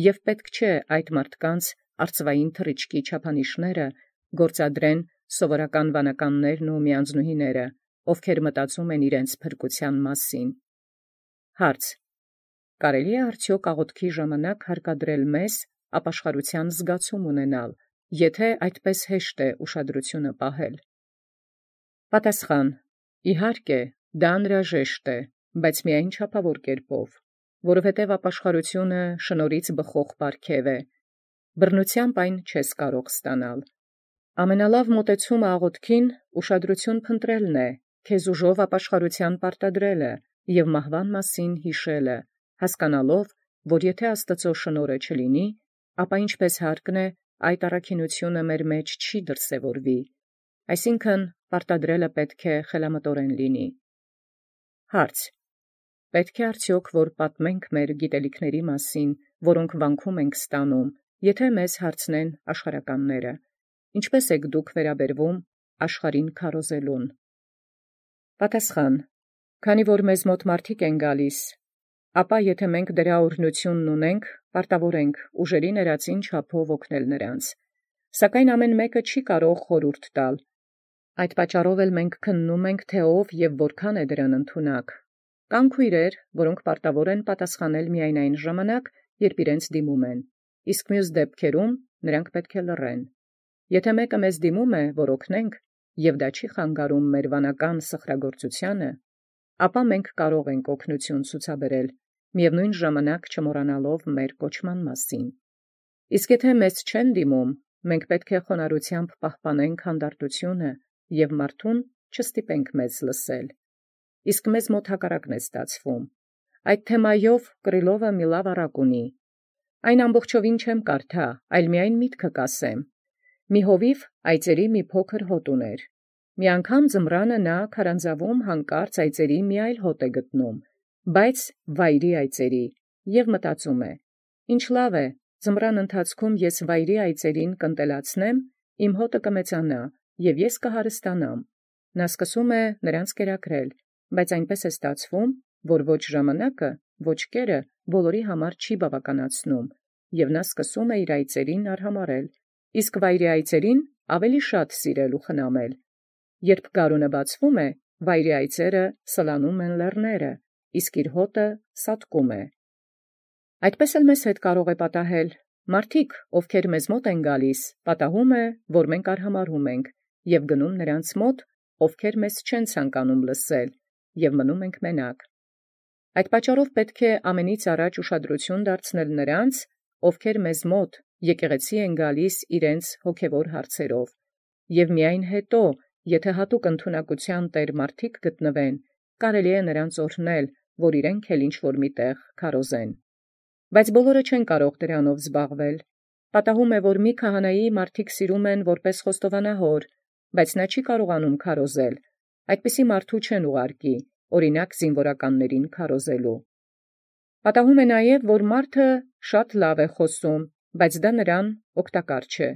և պետք չէ այդ մարդկանց արծվային թռիչքի չափանիշները գործադրեն սովորական վանականներն ու միանձնուհիները, ովքեր մտածում են իրենց փրկության մասին։ Հարց. կարելի է արդյոք աղոթքի ժամանակ հարկադրել մեզ ապաշխարության զգացում ունենալ, եթե այդպես հեշտ է ուշադրությունը պահել։ Պատասխան. իհարկե, դա անհրաժեշտ է, բայց միայն չափավոր կերպով, որովհետև ապաշխարությունը շնորհից բխող պարգև է, բռնությամբ այն չես կարող ստանալ։ Ամենալավ մոտեցումը աղոթքին ուշադրություն փնտրելն է, քեզ ուժով ապաշխարության պարտադրելը և մահվան մասին հիշելը, հասկանալով, որ եթե Աստծո շնորհը չլինի, ապա ինչպես հարկն է, այդ առաքինությունը մեր մեջ չի դրսևորվի, այսինքն պարտադրելը պետք է խելամտորեն լինի։ Հարց. պետք է արդյոք որ պատմենք մեր գիտելիքների մասին, որոնք վանքում ենք ստանում, եթե մեզ հարցնեն աշխարհականները, ինչպես եք դուք վերաբերվում աշխարհին քարոզելուն։ Պատասխան. քանի որ մեզ մոտ մարդիկ են գալիս, ապա եթե մենք դրա օրհնությունն ունենք, պարտավոր ենք ուժերի ներածին չափով օգնել նրանց, սակայն ամեն մեկը չի կարող խորհուրդ տալ։ Այդ պատճառով էլ մենք քննում ենք, թե ով եւ որքան է դրան ընդունակ։ Կան քույրեր, որոնք պարտավոր են պատասխանել միայն այն ժամանակ, երբ իրենց դիմում են, իսկ մյուս դեպքերում նրանք պետք է լռեն։ Եթե մեկը մեզ դիմում է, որ օգնենք, եւ դա չի խանգարում մեր վանական սխրագործությանը, ապա մենք կարող ենք օգնություն ցուցաբերել, միևնույն ժամանակ չմոռանալով մեր կոչման մասին։ Իսկ եթե մեզ չեն դիմում, մենք պետք է խոնարհությամբ պահպանենք հանդարտությունը եւ մարդուն չստիպենք մեզ լսել։ Իսկ մեզ մոտ հակառակն է ստացվում։ Այդ թեմայով Կրիլովը մի լավ առակ ունի։ Այն ամբողջովին չեմ կարդա, այլ միայն միտքը կասեմ։ Մի հովիվ այծերի մի փոքր հոտ ուներ։ Մի անգամ ձմռանը նա քարանձավում հանկարծ այծերի մի այլ հոտ է գտնում, բայց վայրի այծերի, եւ մտածում է. ինչ լավ է, ձմռան ընթացքում ես վայրի այծերին կընտելացնեմ, իմ հոտը կմեծանա, եւ ես կհարստանամ։ Նա սկսում է նրանց կերակրել, բայց այնպես է ստացվում, որ ոչ ժամանակը, ոչ կերը բոլորի համար չի բավականացնում, եւ նա սկսում է իր այծերին արհամարել, իսկ վայրի այծերին ավելի շատ սիրել ու խնամել։ Երբ գարունը բացվում է, վայրի այծերը սլանում են լեռները, իսկ իր հոտը սատկում է։ Այդպես էլ մեզ հետ կարող է պատահել։ Մարդիկ, ովքեր մեզ մոտ են գալիս, պատահում է, որ մենք արհամարհում ենք եւ գնում նրանց մոտ, ովքեր մեզ չեն ցանկանում լսել, եւ մնում ենք մենակ։ Այդ պատճառով պետք է ամենից առաջ ուշադրություն դարձնել նրանց, ովքեր մեզ մոտ եկեղեցի են գալիս իրենց հոգևոր հարցերով, եւ միայն հետո, եթե հատուկ ընդունակության տեր մարդիկ գտնվեն, կարելի է նրանց օրհնել, որ իրենք էլ ինչ-որ միտեղ քարոզեն։ Բայց բոլորը չեն կարող դրանով զբաղվել։ Պատահում է, որ մի քահանայի մարդիկ սիրում են որպես խոստովանահոր, բայց նա չի կարողանում քարոզել։ Այդպիսի մարդու չեն ուղարկի, օրինակ զինվորականներին քարոզելու։ Պատահում է նաև, որ մարդը շատ լավ է խոսում, բայց դա նրան օգտակար չէ։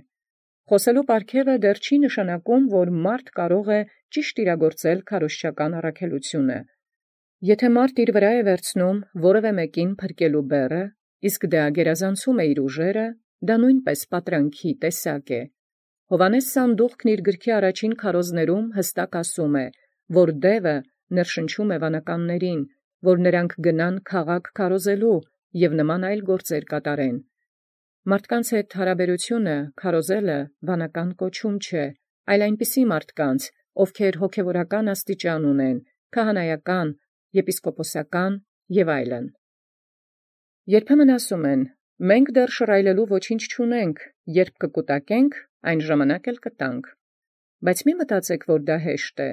Խոսելու պարգևը դեռ չի նշանակում, որ մարդ կարող է ճիշտ իրագործել քարոզչական առաքելությունը։ Եթե մարդ իր վրա է վերցնում որևէ մեկին փրկելու բեռը, իսկ դա գերազանցում է իր ուժերը, դա նույնպես պատրանքի տեսակ է։ Հովհաննես Սանդուղքն իր գրքի առաջին քարոզներում հստակ ասում է, որ դևը ներշնչում է վանականներին, որ նրանք գնան քաղաք քարոզելու եւ նման այլ գործեր կատարեն։ Մարդկանց հետ հարաբերությունը քարոզելը վանական կոչում չէ, այլ այնպիսի մարդկանց, ովքեր հոգևորական աստիճան ունեն, քահանայական, եպիսկոպոսական եւ այլն։ Երբեմն ասում են. մենք դեռ շռայլելու ոչինչ չունենք, երբ կկուտակենք, այն ժամանակ էլ կտանք։ Բայց մի մտածեք, որ դա հեշտ է։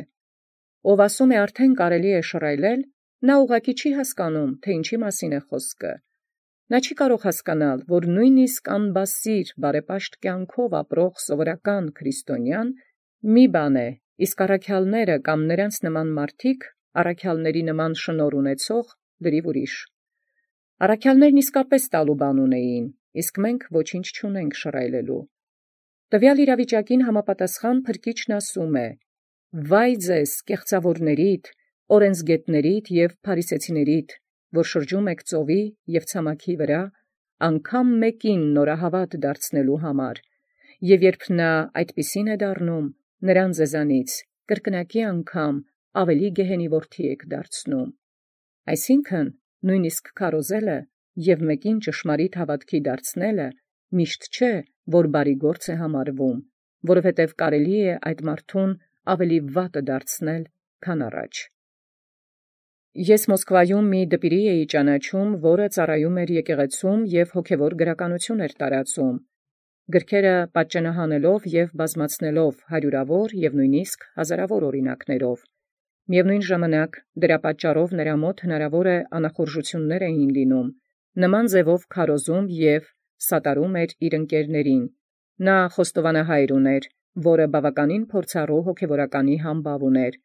Ով ասում է արդեն կարելի է շռայլել, նա ուղղակի չի հասկանում, թե ինչի մասին է խոսքը։ Նա չի կարող հասկանալ, որ նույնիսկ անբասիր բարեպաշտ կյանքով ապրող սովորական քրիստոնյան մի բան է, իսկ առաքյալները կամ նրանց նման մարդիկ, առաքյալների նման շնորհ ունեցող, լրիվ ուրիշ։ Առաքյալներն իսկապես տալու բան ունեին, իսկ մենք ոչինչ չունենք շռայլելու։ Տվյալ իրավիճակին համապատասխան Փրկիչն ասում է. «Վայ ձեզ, կեղծավորներիդ, օրենսգետներիդ եւ փարիսեցիներիդ, որ շրջում եք ծովի եւ ցամաքի վրա, անգամ մեկին նորահավատ դարձնելու համար, եւ երբ նա այդպիսին է դառնում, նրան ձեզանից կրկնակի անգամ ավելի գեհենի որդի եք դարձնում»։ Այսինքն, նույնիսկ քարոզելը եւ մեկին ճշմարիտ հավատքի դարձնելը միշտ չէ, որ բարի գործ է համարվում, որովհետև կարելի է այդ մարդուն ավելի վատը դարձնել, քան առաջ։ Ես Մոսկվայում մի դպիրի էի ճանաչում, որը ծառայում էր եկեղեցում եւ հոգևոր գրականություն էր տարածում, գրքերը պատճենահանելով եւ բազմացնելով հարյուրավոր եւ նույնիսկ հազարավոր օրինակներով։ Միևնույն ժամանակ դրա պատճառով նրա մոտ հնարավոր է անախորժություններ էին լինում, նման ձևով քարոզում եւ սատարում էր իր ընկերներին, Նա խոստովանահայր ուներ, որը բավականին փորձառու հոգևորականի համբավ ուներ,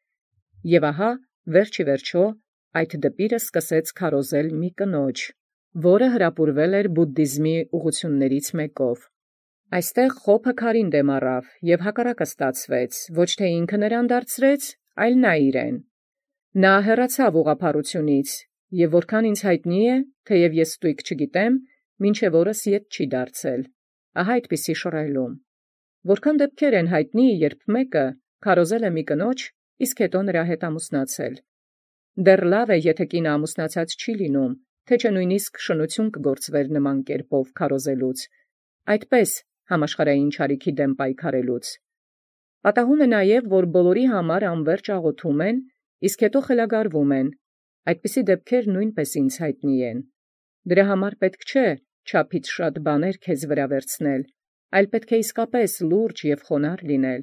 եւ ահա վերջի վերջո այդ դպիրը սկսեց քարոզել մի կնոջ, որը հրապուրվել էր բուդդիզմի ուղղություններից մեկով։ Այստեղ խոփը քարին դեմ առավ եւ հակառակը ստացվեց, ոչ թե ինքը նրան դարձրեց, այլ նա իրեն։ Նա հեռացավ ուղղափառությունից, եւ որքան ինձ հայտնի է, թեև ես ստույգ չգիտեմ, մինչև օրս ետ չի դարձել։ Ահա այդպիսի շռայլում։ Որքան դեպքեր են հայտնի, երբ մեկը քարոզել է մի կնոջ, իսկ հետո նրա հետ ամուսնացել։ Դեռ լավ է, եթե կինը ամուսնացած չի լինում, թե չէ նույնիսկ շնություն կգործվեր նման կերպով քարոզելուց, այդպես համաշխարհային չարիքի դեմ պայքարելուց։ Պատահում է նաև, որ բոլորի համար անվերջ աղոթում են, իսկ հետո խելագարվում են։ Այդպիսի դեպքեր նույնպես ինձ հայտնի են։ Դրա համար պետք չէ չափից շատ բաներ քեզ վրա վերցնել, այլ պետք է իսկապես լուրջ եւ խոնարհ լինել։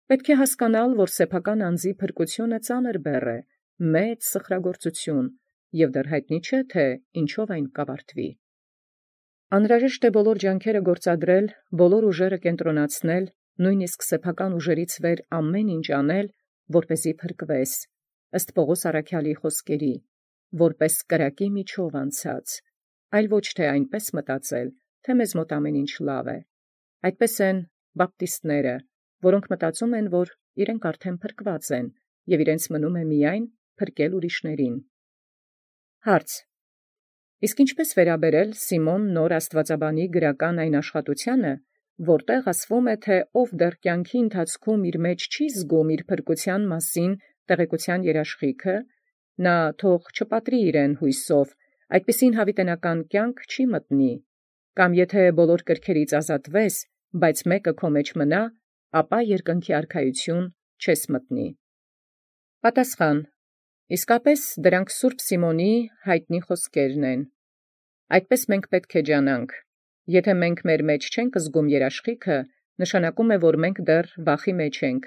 Պետք է հասկանալ, որ սեփական անձի փրկությունը ծանր բեռ է, մեծ սխրագործություն, եւ դեռ հայտնի չէ, թե ինչով այն կավարտվի։ Անհրաժեշտ է բոլոր ջանքերը գործադրել, բոլոր ուժերը կենտրոնացնել, նույնիսկ սեփական ուժերից վեր ամեն ինչ անել, որպեսզի փրկվես, ըստ Պողոս առաքյալի խոսքերի, որպես կրակի միջով անցած, այլ ոչ թե այնպես մտածել, թե մեզ մոտ ամեն ինչ լավ է։ Այդպես են բապտիստները, որոնք մտածում են, որ իրենք արդեն փրկված են, եւ իրենց մնում է միայն փրկել ուրիշներին։ Հարց. Իսկ ինչպես վերաբերել Սիմոն նոր աստվածաբանի գրական այն աշխատությանը, որտեղ ասվում է, թե ով դեռ կյանքի ընթացքում իր մեջ չի զգում իր փրկության մասին տեղեկության երաշխիքը, նա թող չպատրի իրեն հույսով, այդպիսին հավիտենական կյանք չի մտնի, կամ եթե բոլոր կրքերից ազատվես, բայց մեկը քո մեջ մնա, ապա երկնքի արքայություն չես մտնի։ Պատասխան. իսկապես դրանք Սուրբ Սիմոնի հայտնի խոսքերն են։ Այդպես մենք պետք է ջանանք։ Եթե մենք մեր մեջ չենք զգում երաշխիքը, նշանակում է, որ մենք դեռ վախի մեջ ենք,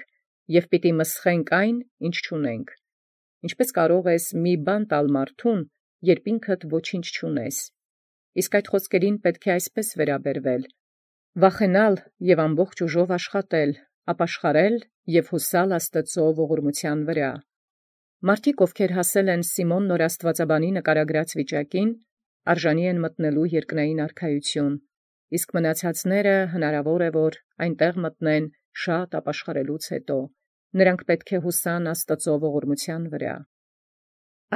եւ պիտի մսխենք այն, ինչ չունենք։ Ինչպես կարող ես մի բան տալ մարդուն, երբ ինքդ ոչինչ չունես։ Իսկ այդ խոսքերին պետք է այսպես վերաբերվել. վախենալ եւ ամբողջ ուժով աշխատել, ապաշխարել եւ հուսալ Աստծո ողորմության վրա։ Մարդիկ, ովքեր հասել են Սիմոն նոր աստվածաբանի նկարագրած վիճակին, արժանի են մտնելու երկնային արքայություն, իսկ մնացածները հնարավոր է, որ այնտեղ մտնեն շատ ապաշխարելուց հետո։ Նրանք պետք է հուսան Աստծո ողորմության վրա։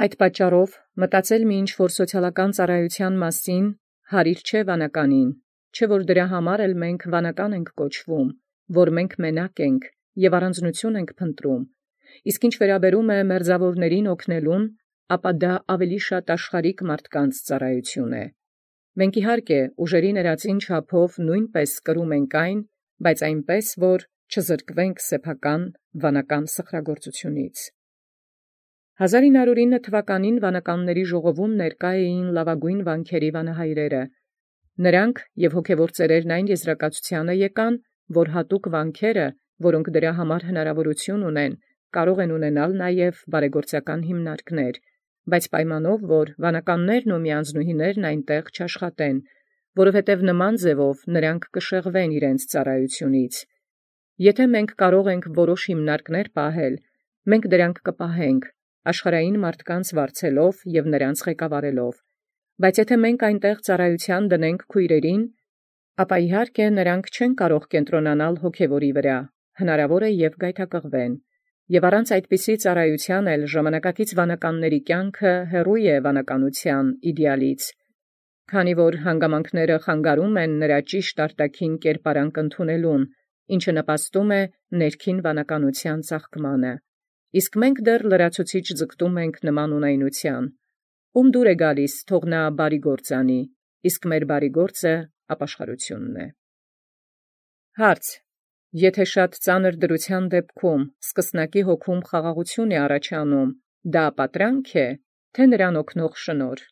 Այդ պատճառով մտածել մի ինչ-որ սոցիալական ծառայության մասին հարիր չէ վանականին, չէ որ դրա համար էլ մենք վանական ենք կոչվում, որ մենք մենակ ենք եւ առանձնություն ենք փնտրում, իսկ ինչ վերաբերում է մերձավորներին օգնելուն, ապա դա ավելի շատ աշխարհիկ մարդկանց ծառայություն է։ Մենք իհարկե ուժերի ներածին չափով նույնպես կրում ենք այն, բայց այնպես, որ չզրկվենք սեփական վանական սխրագործությունից։ հազար ինը հարյուր ինը թվականին վանականների ժողովում ներկա էին լավագույն վանքերի վանահայրերը։ Նրանք եւ հոգևոր ծերերն այն եզրակացությանը եկան, որ հատուկ վանքերը, որոնք դրա համար հնարավորություն ունեն, կարող են ունենալ նաև բարեգործական հիմնարկներ, բայց պայմանով, որ վանականներն ու միանձնուհիներն այնտեղ չաշխատեն, որովհետև նման ձևով նրանք կշեղվեն իրենց ծառայությունից։ Եթե մենք կարող ենք որոշ հիմնարկներ պահել, մենք դրանք կպահենք, աշխարհային մարդկանց վարձելով եւ նրանց ղեկավարելով, բայց եթե մենք այնտեղ ծառայության դնենք քույրերին, ապա իհարկե նրանք չեն կարող կենտրոնանալ հոգևորի վրա, հնարավոր է եւ գայթակղվեն, եւ առանց այդպիսի ծառայության էլ ժամանակակից վանականների կյանքը հեռու է վանականության իդեալից, քանի որ հանգամանքները խանգարում են նրա ճիշտ արտաքին կերպարանք ընդունելուն, ինչը նպաստում է ներքին վանականության ծաղկմանը, իսկ մենք դեռ լրացուցիչ ձգտում ենք նման ունայնության, ում դուր է գալիս, թող նա բարի գործ անի, իսկ մեր բարի գործը ապաշխարությունն է։ Հարց. Եթե շատ ծանր դրության դեպքում սկսնակի հոգում խաղաղություն է առաջանում, դա պատրանք է, թե նրան օգնող շնորհ։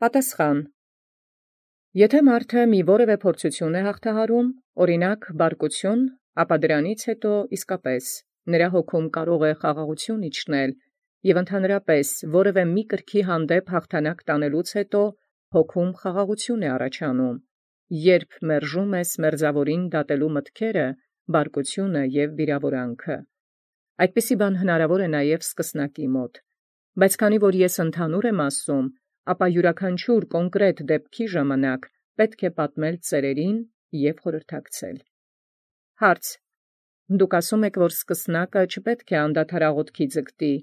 Պատասխան. Եթե մարդը մի որևէ փորձություն է հաղթահարում, օրինակ բարկություն, ապա դրանից հետո իսկապես նրա հոգում կարող է խաղաղություն իջնել, եւ ընդհանրապես որևէ մի կրքի հանդեպ հաղթանակ տանելուց հետո հոգում խաղաղություն է առաջանում, երբ մերժում ես մերձավորին դատելու մտքերը, բարկությունը և վիրավորանքը։ Այդպիսի բան հնարավոր է նաև սկսնակի մոտ, բայց քանի որ ես ընդհանուր եմ ասում, ապա յուրաքանչյուր կոնկրետ դեպքի ժամանակ պետք է պատմել ծերերին և խորհրդակցել։ Հարց. Դուք ասում եք, որ սկսնակը չպետք է անդադար աղոթքի ձգտի,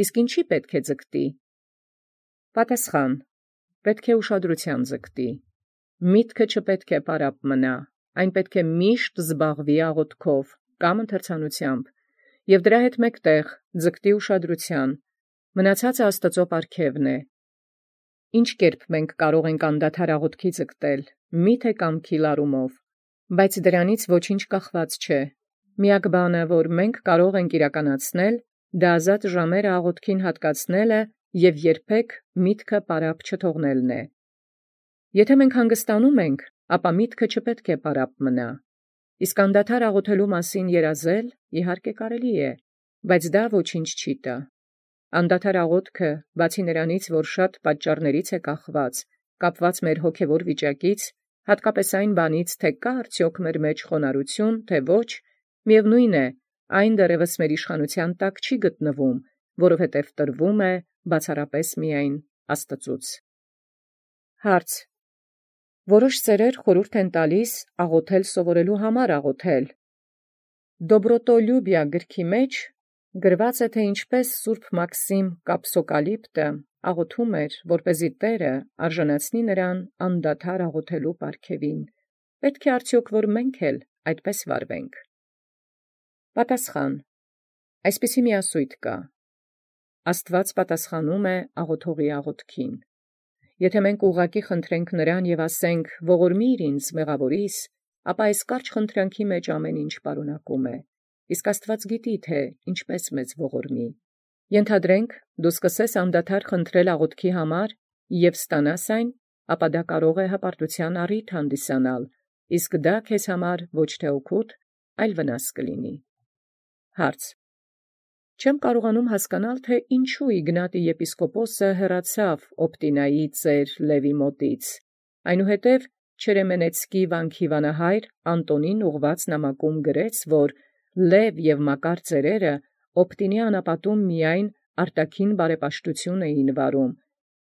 իսկ ինչի պետք է ձգտի։ Պատասխան. պետք է ուշադրության ձգտի։ Միտքը չպետք է պարապ մնա, այն պետք է միշտ զբաղվի աղոթքով կամ ընթերցանությամբ, և դրա հետ մեկտեղ ձգտի ուշադրության, մնացածը Աստծո պարգևն է։ Ինչ կերպ մենք կարող ենք անդադար աղոթքի ձգտել, միթե կամքի լարումով, բայց դրանից ոչինչ կախված չէ։ Միակ բանը, որ մենք կարող ենք իրականացնել, դա ազատ ժամերը աղոթքին հատկացնելը և երբեք միտքը պարապ չթողնելն է։ Եթե մենք հանգստանում ենք, ապա միտքը չպետք է պարապ մնա։ Իսկ անդադար աղոթելու մասին երազել, իհարկե կարելի է, բայց դա ոչինչ չի տա։ Անդադար աղոթքը, բացի նրանից, որ շատ պատճառներից է կախված, կապված մեր հոգևոր վիճակից, հատկապես այն բանից, թե կա արդյոք մեր մեջ խոնարհություն, թե ոչ, միևնույն է, այն դեռևս մեր իշխանության տակ չի գտնվում, որովհետև տրվում է բացառապես միայն Աստծուց։ Հարց. Որոշ ծերեր խորհուրդ են տալիս աղոթել սովորելու համար աղոթել։ Դոբրոտոլյուբիա գրքի մեջ գրված է, թե ինչպես Սուրբ Մաքսիմ Կապսոկալիպտը աղոթում էր, որպեսզի Տերը արժանացնի նրան անդադար աղոթելու պարգևին։ Պետք է արդյոք որ մենք էլ այդպես վարվենք։ Պատասխան. այսպիսի մի ասույթ կա. Աստված պատասխանում է աղոթողի աղոթքին։ Եթե մենք ուղղակի խնդրենք նրան և ասենք ողորմիր ինձ մեղավորիս, ապա այս կարճ խնդրանքի մեջ ամեն ինչ պարունակում է, իսկ Աստված գիտի, թե ինչպես մեզ ողորմի։ Ենթադրենք, դու սկսես անդադար խնդրել աղոթքի համար և ստանաս այն, ապա դա կարող է հպարտության առիթ հանդիսանալ, իսկ դա քեզ համար ոչ թե օգուտ, այլ վնաս կլինի։ Հարց. Չեմ կարողանում հասկանալ, թե ինչու Իգնատի եպիսկոպոսը հեռացավ Օպտինայի ծեր Լևի մոտից, այնուհետև Չերեմենեցկի վանքի վանահայր Անտոնին ուղված նամակում գրեց, որ Լև և Մակար ծերերը Օպտինի անապատում միայն արտաքին բարեպաշտություն էին վարում,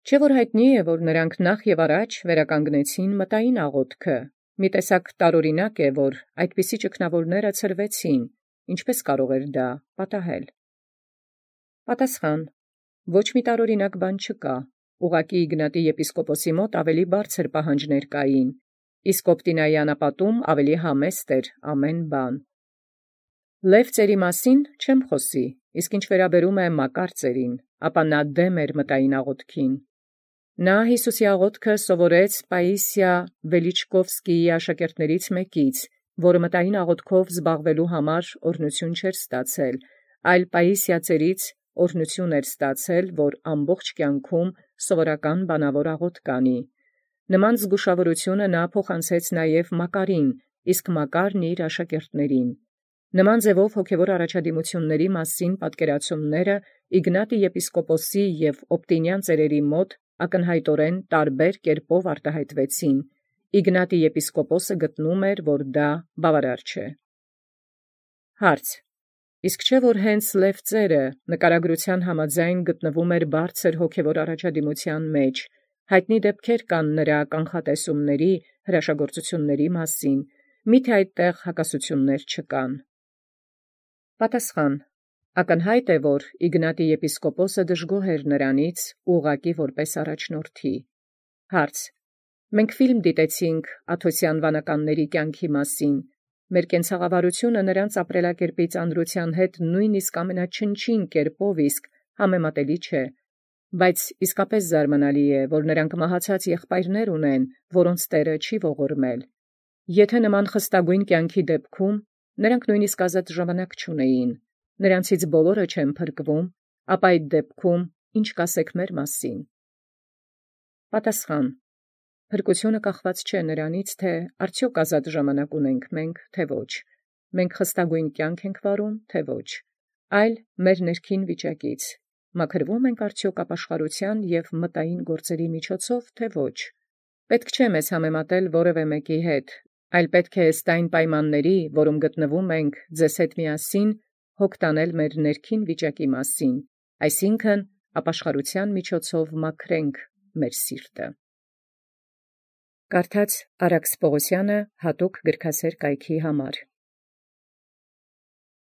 չէ՞ որ հայտնի է, որ նրանք նախ և առաջ վերականգնեցին մտային աղոթքը, մի տեսակ տարօրինակ է, որ այդպիսի ճգնավորները ցրվեցին, ինչպես կարող էր դա պատահել։ Պատասխան. ոչ մի տարօրինակ բան չկա, ուղղակի Իգնատի եպիսկոպոսի մոտ ավելի բարձր պահանջներ կային, իսկ Օպտինայի անապատում ավելի համեստ էր ամեն բան։ Լև ծերի մասին չեմ խոսի, իսկ ինչ վերաբերում է Մակար ծերին, ապա նա դեմ էր մտային աղոթքին։ Նա Հիսուսի աղոթքը սովորեց Պաիսիա Վելիչկովսկիի աշակերտներից մեկից, որը մտային աղոթքով զբաղվելու համար օրհնություն չէր ստացել, այլ Պաիսիա ծերից օրհնություն էր ստացել, որ ամբողջ կյանքում սովորական բանավոր աղոթք անի։ Նման զգուշավորությունը նա փոխանցեց նաև Մակարին, իսկ Մակարն իր աշակերտներին։ Նման ձևով հոգևոր առաջադիմությունների մասին պատկերացումները Իգնատի եպիսկոպոսի և Օպտինյան ծերերի մոտ ակնհայտորեն տարբեր կերպով արտահայտվեցին։ Իգնատի եպիսկոպոսը գտնում էր, որ դա բավարար չէ։ Հարց. իսկ չէ՞ որ հենց Լև ծերը նկարագրության համաձայն գտնվում էր բարձր հոգևոր առաջադիմության մեջ, հայտնի դեպքեր կան նրա կանխատեսումների, հրաշագործությունների մասին, միթե այդտեղ հակասություններ չկան։ Պատասխան. ակնհայտ է, որ Իգնատի եպիսկոպոսը դժգոհ էր նրանից ուղղակի որպես առաջնորդի։ Հարց. մենք ֆիլմ դիտեցինք Աթոսյան վանականների կյանքի մասին, մեր կենցաղավարությունը նրանց ապրելակերպի ծանրության հետ նույնիսկ ամենաչնչին կերպով իսկ համեմատելի չէ, բայց իսկապես զարմանալի է, որ նրանք մահացած եղբայրներ ունեն, որոնց Տերը չի ողորմել։ Եթե նման խստագույն կյանքի դեպքում նրանք նույնիսկ ազատ ժամանակ չունեին, նրանցից բոլորը չեն փրկվում, ապա այդ դեպքում ինչ կասեք մեր մասին։ Պատասխան. փրկությունը կախված չէ նրանից, թե արդյոք ազատ ժամանակ ունենք մենք, թե ոչ, մենք խստագույն կյանք ենք վարում, թե ոչ, այլ մեր ներքին վիճակից, մաքրվում ենք արդյոք ապաշխարության և մտային գործերի միջոցով, թե ոչ։ Պետք չէ մեզ համեմատել որևէ մեկի հետ, այլ պետք է ըստ այն պայմանների, որում գտնվում ենք ձեզ հետ միասին, հոգ տանել մեր ներքին վիճակի մասին, այսինքն ապաշխարության միջոցով մաքրենք մեր սիրտը։ Կարդաց Արաքս Պողոսյանը հատուկ գրքասեր կայքի համար։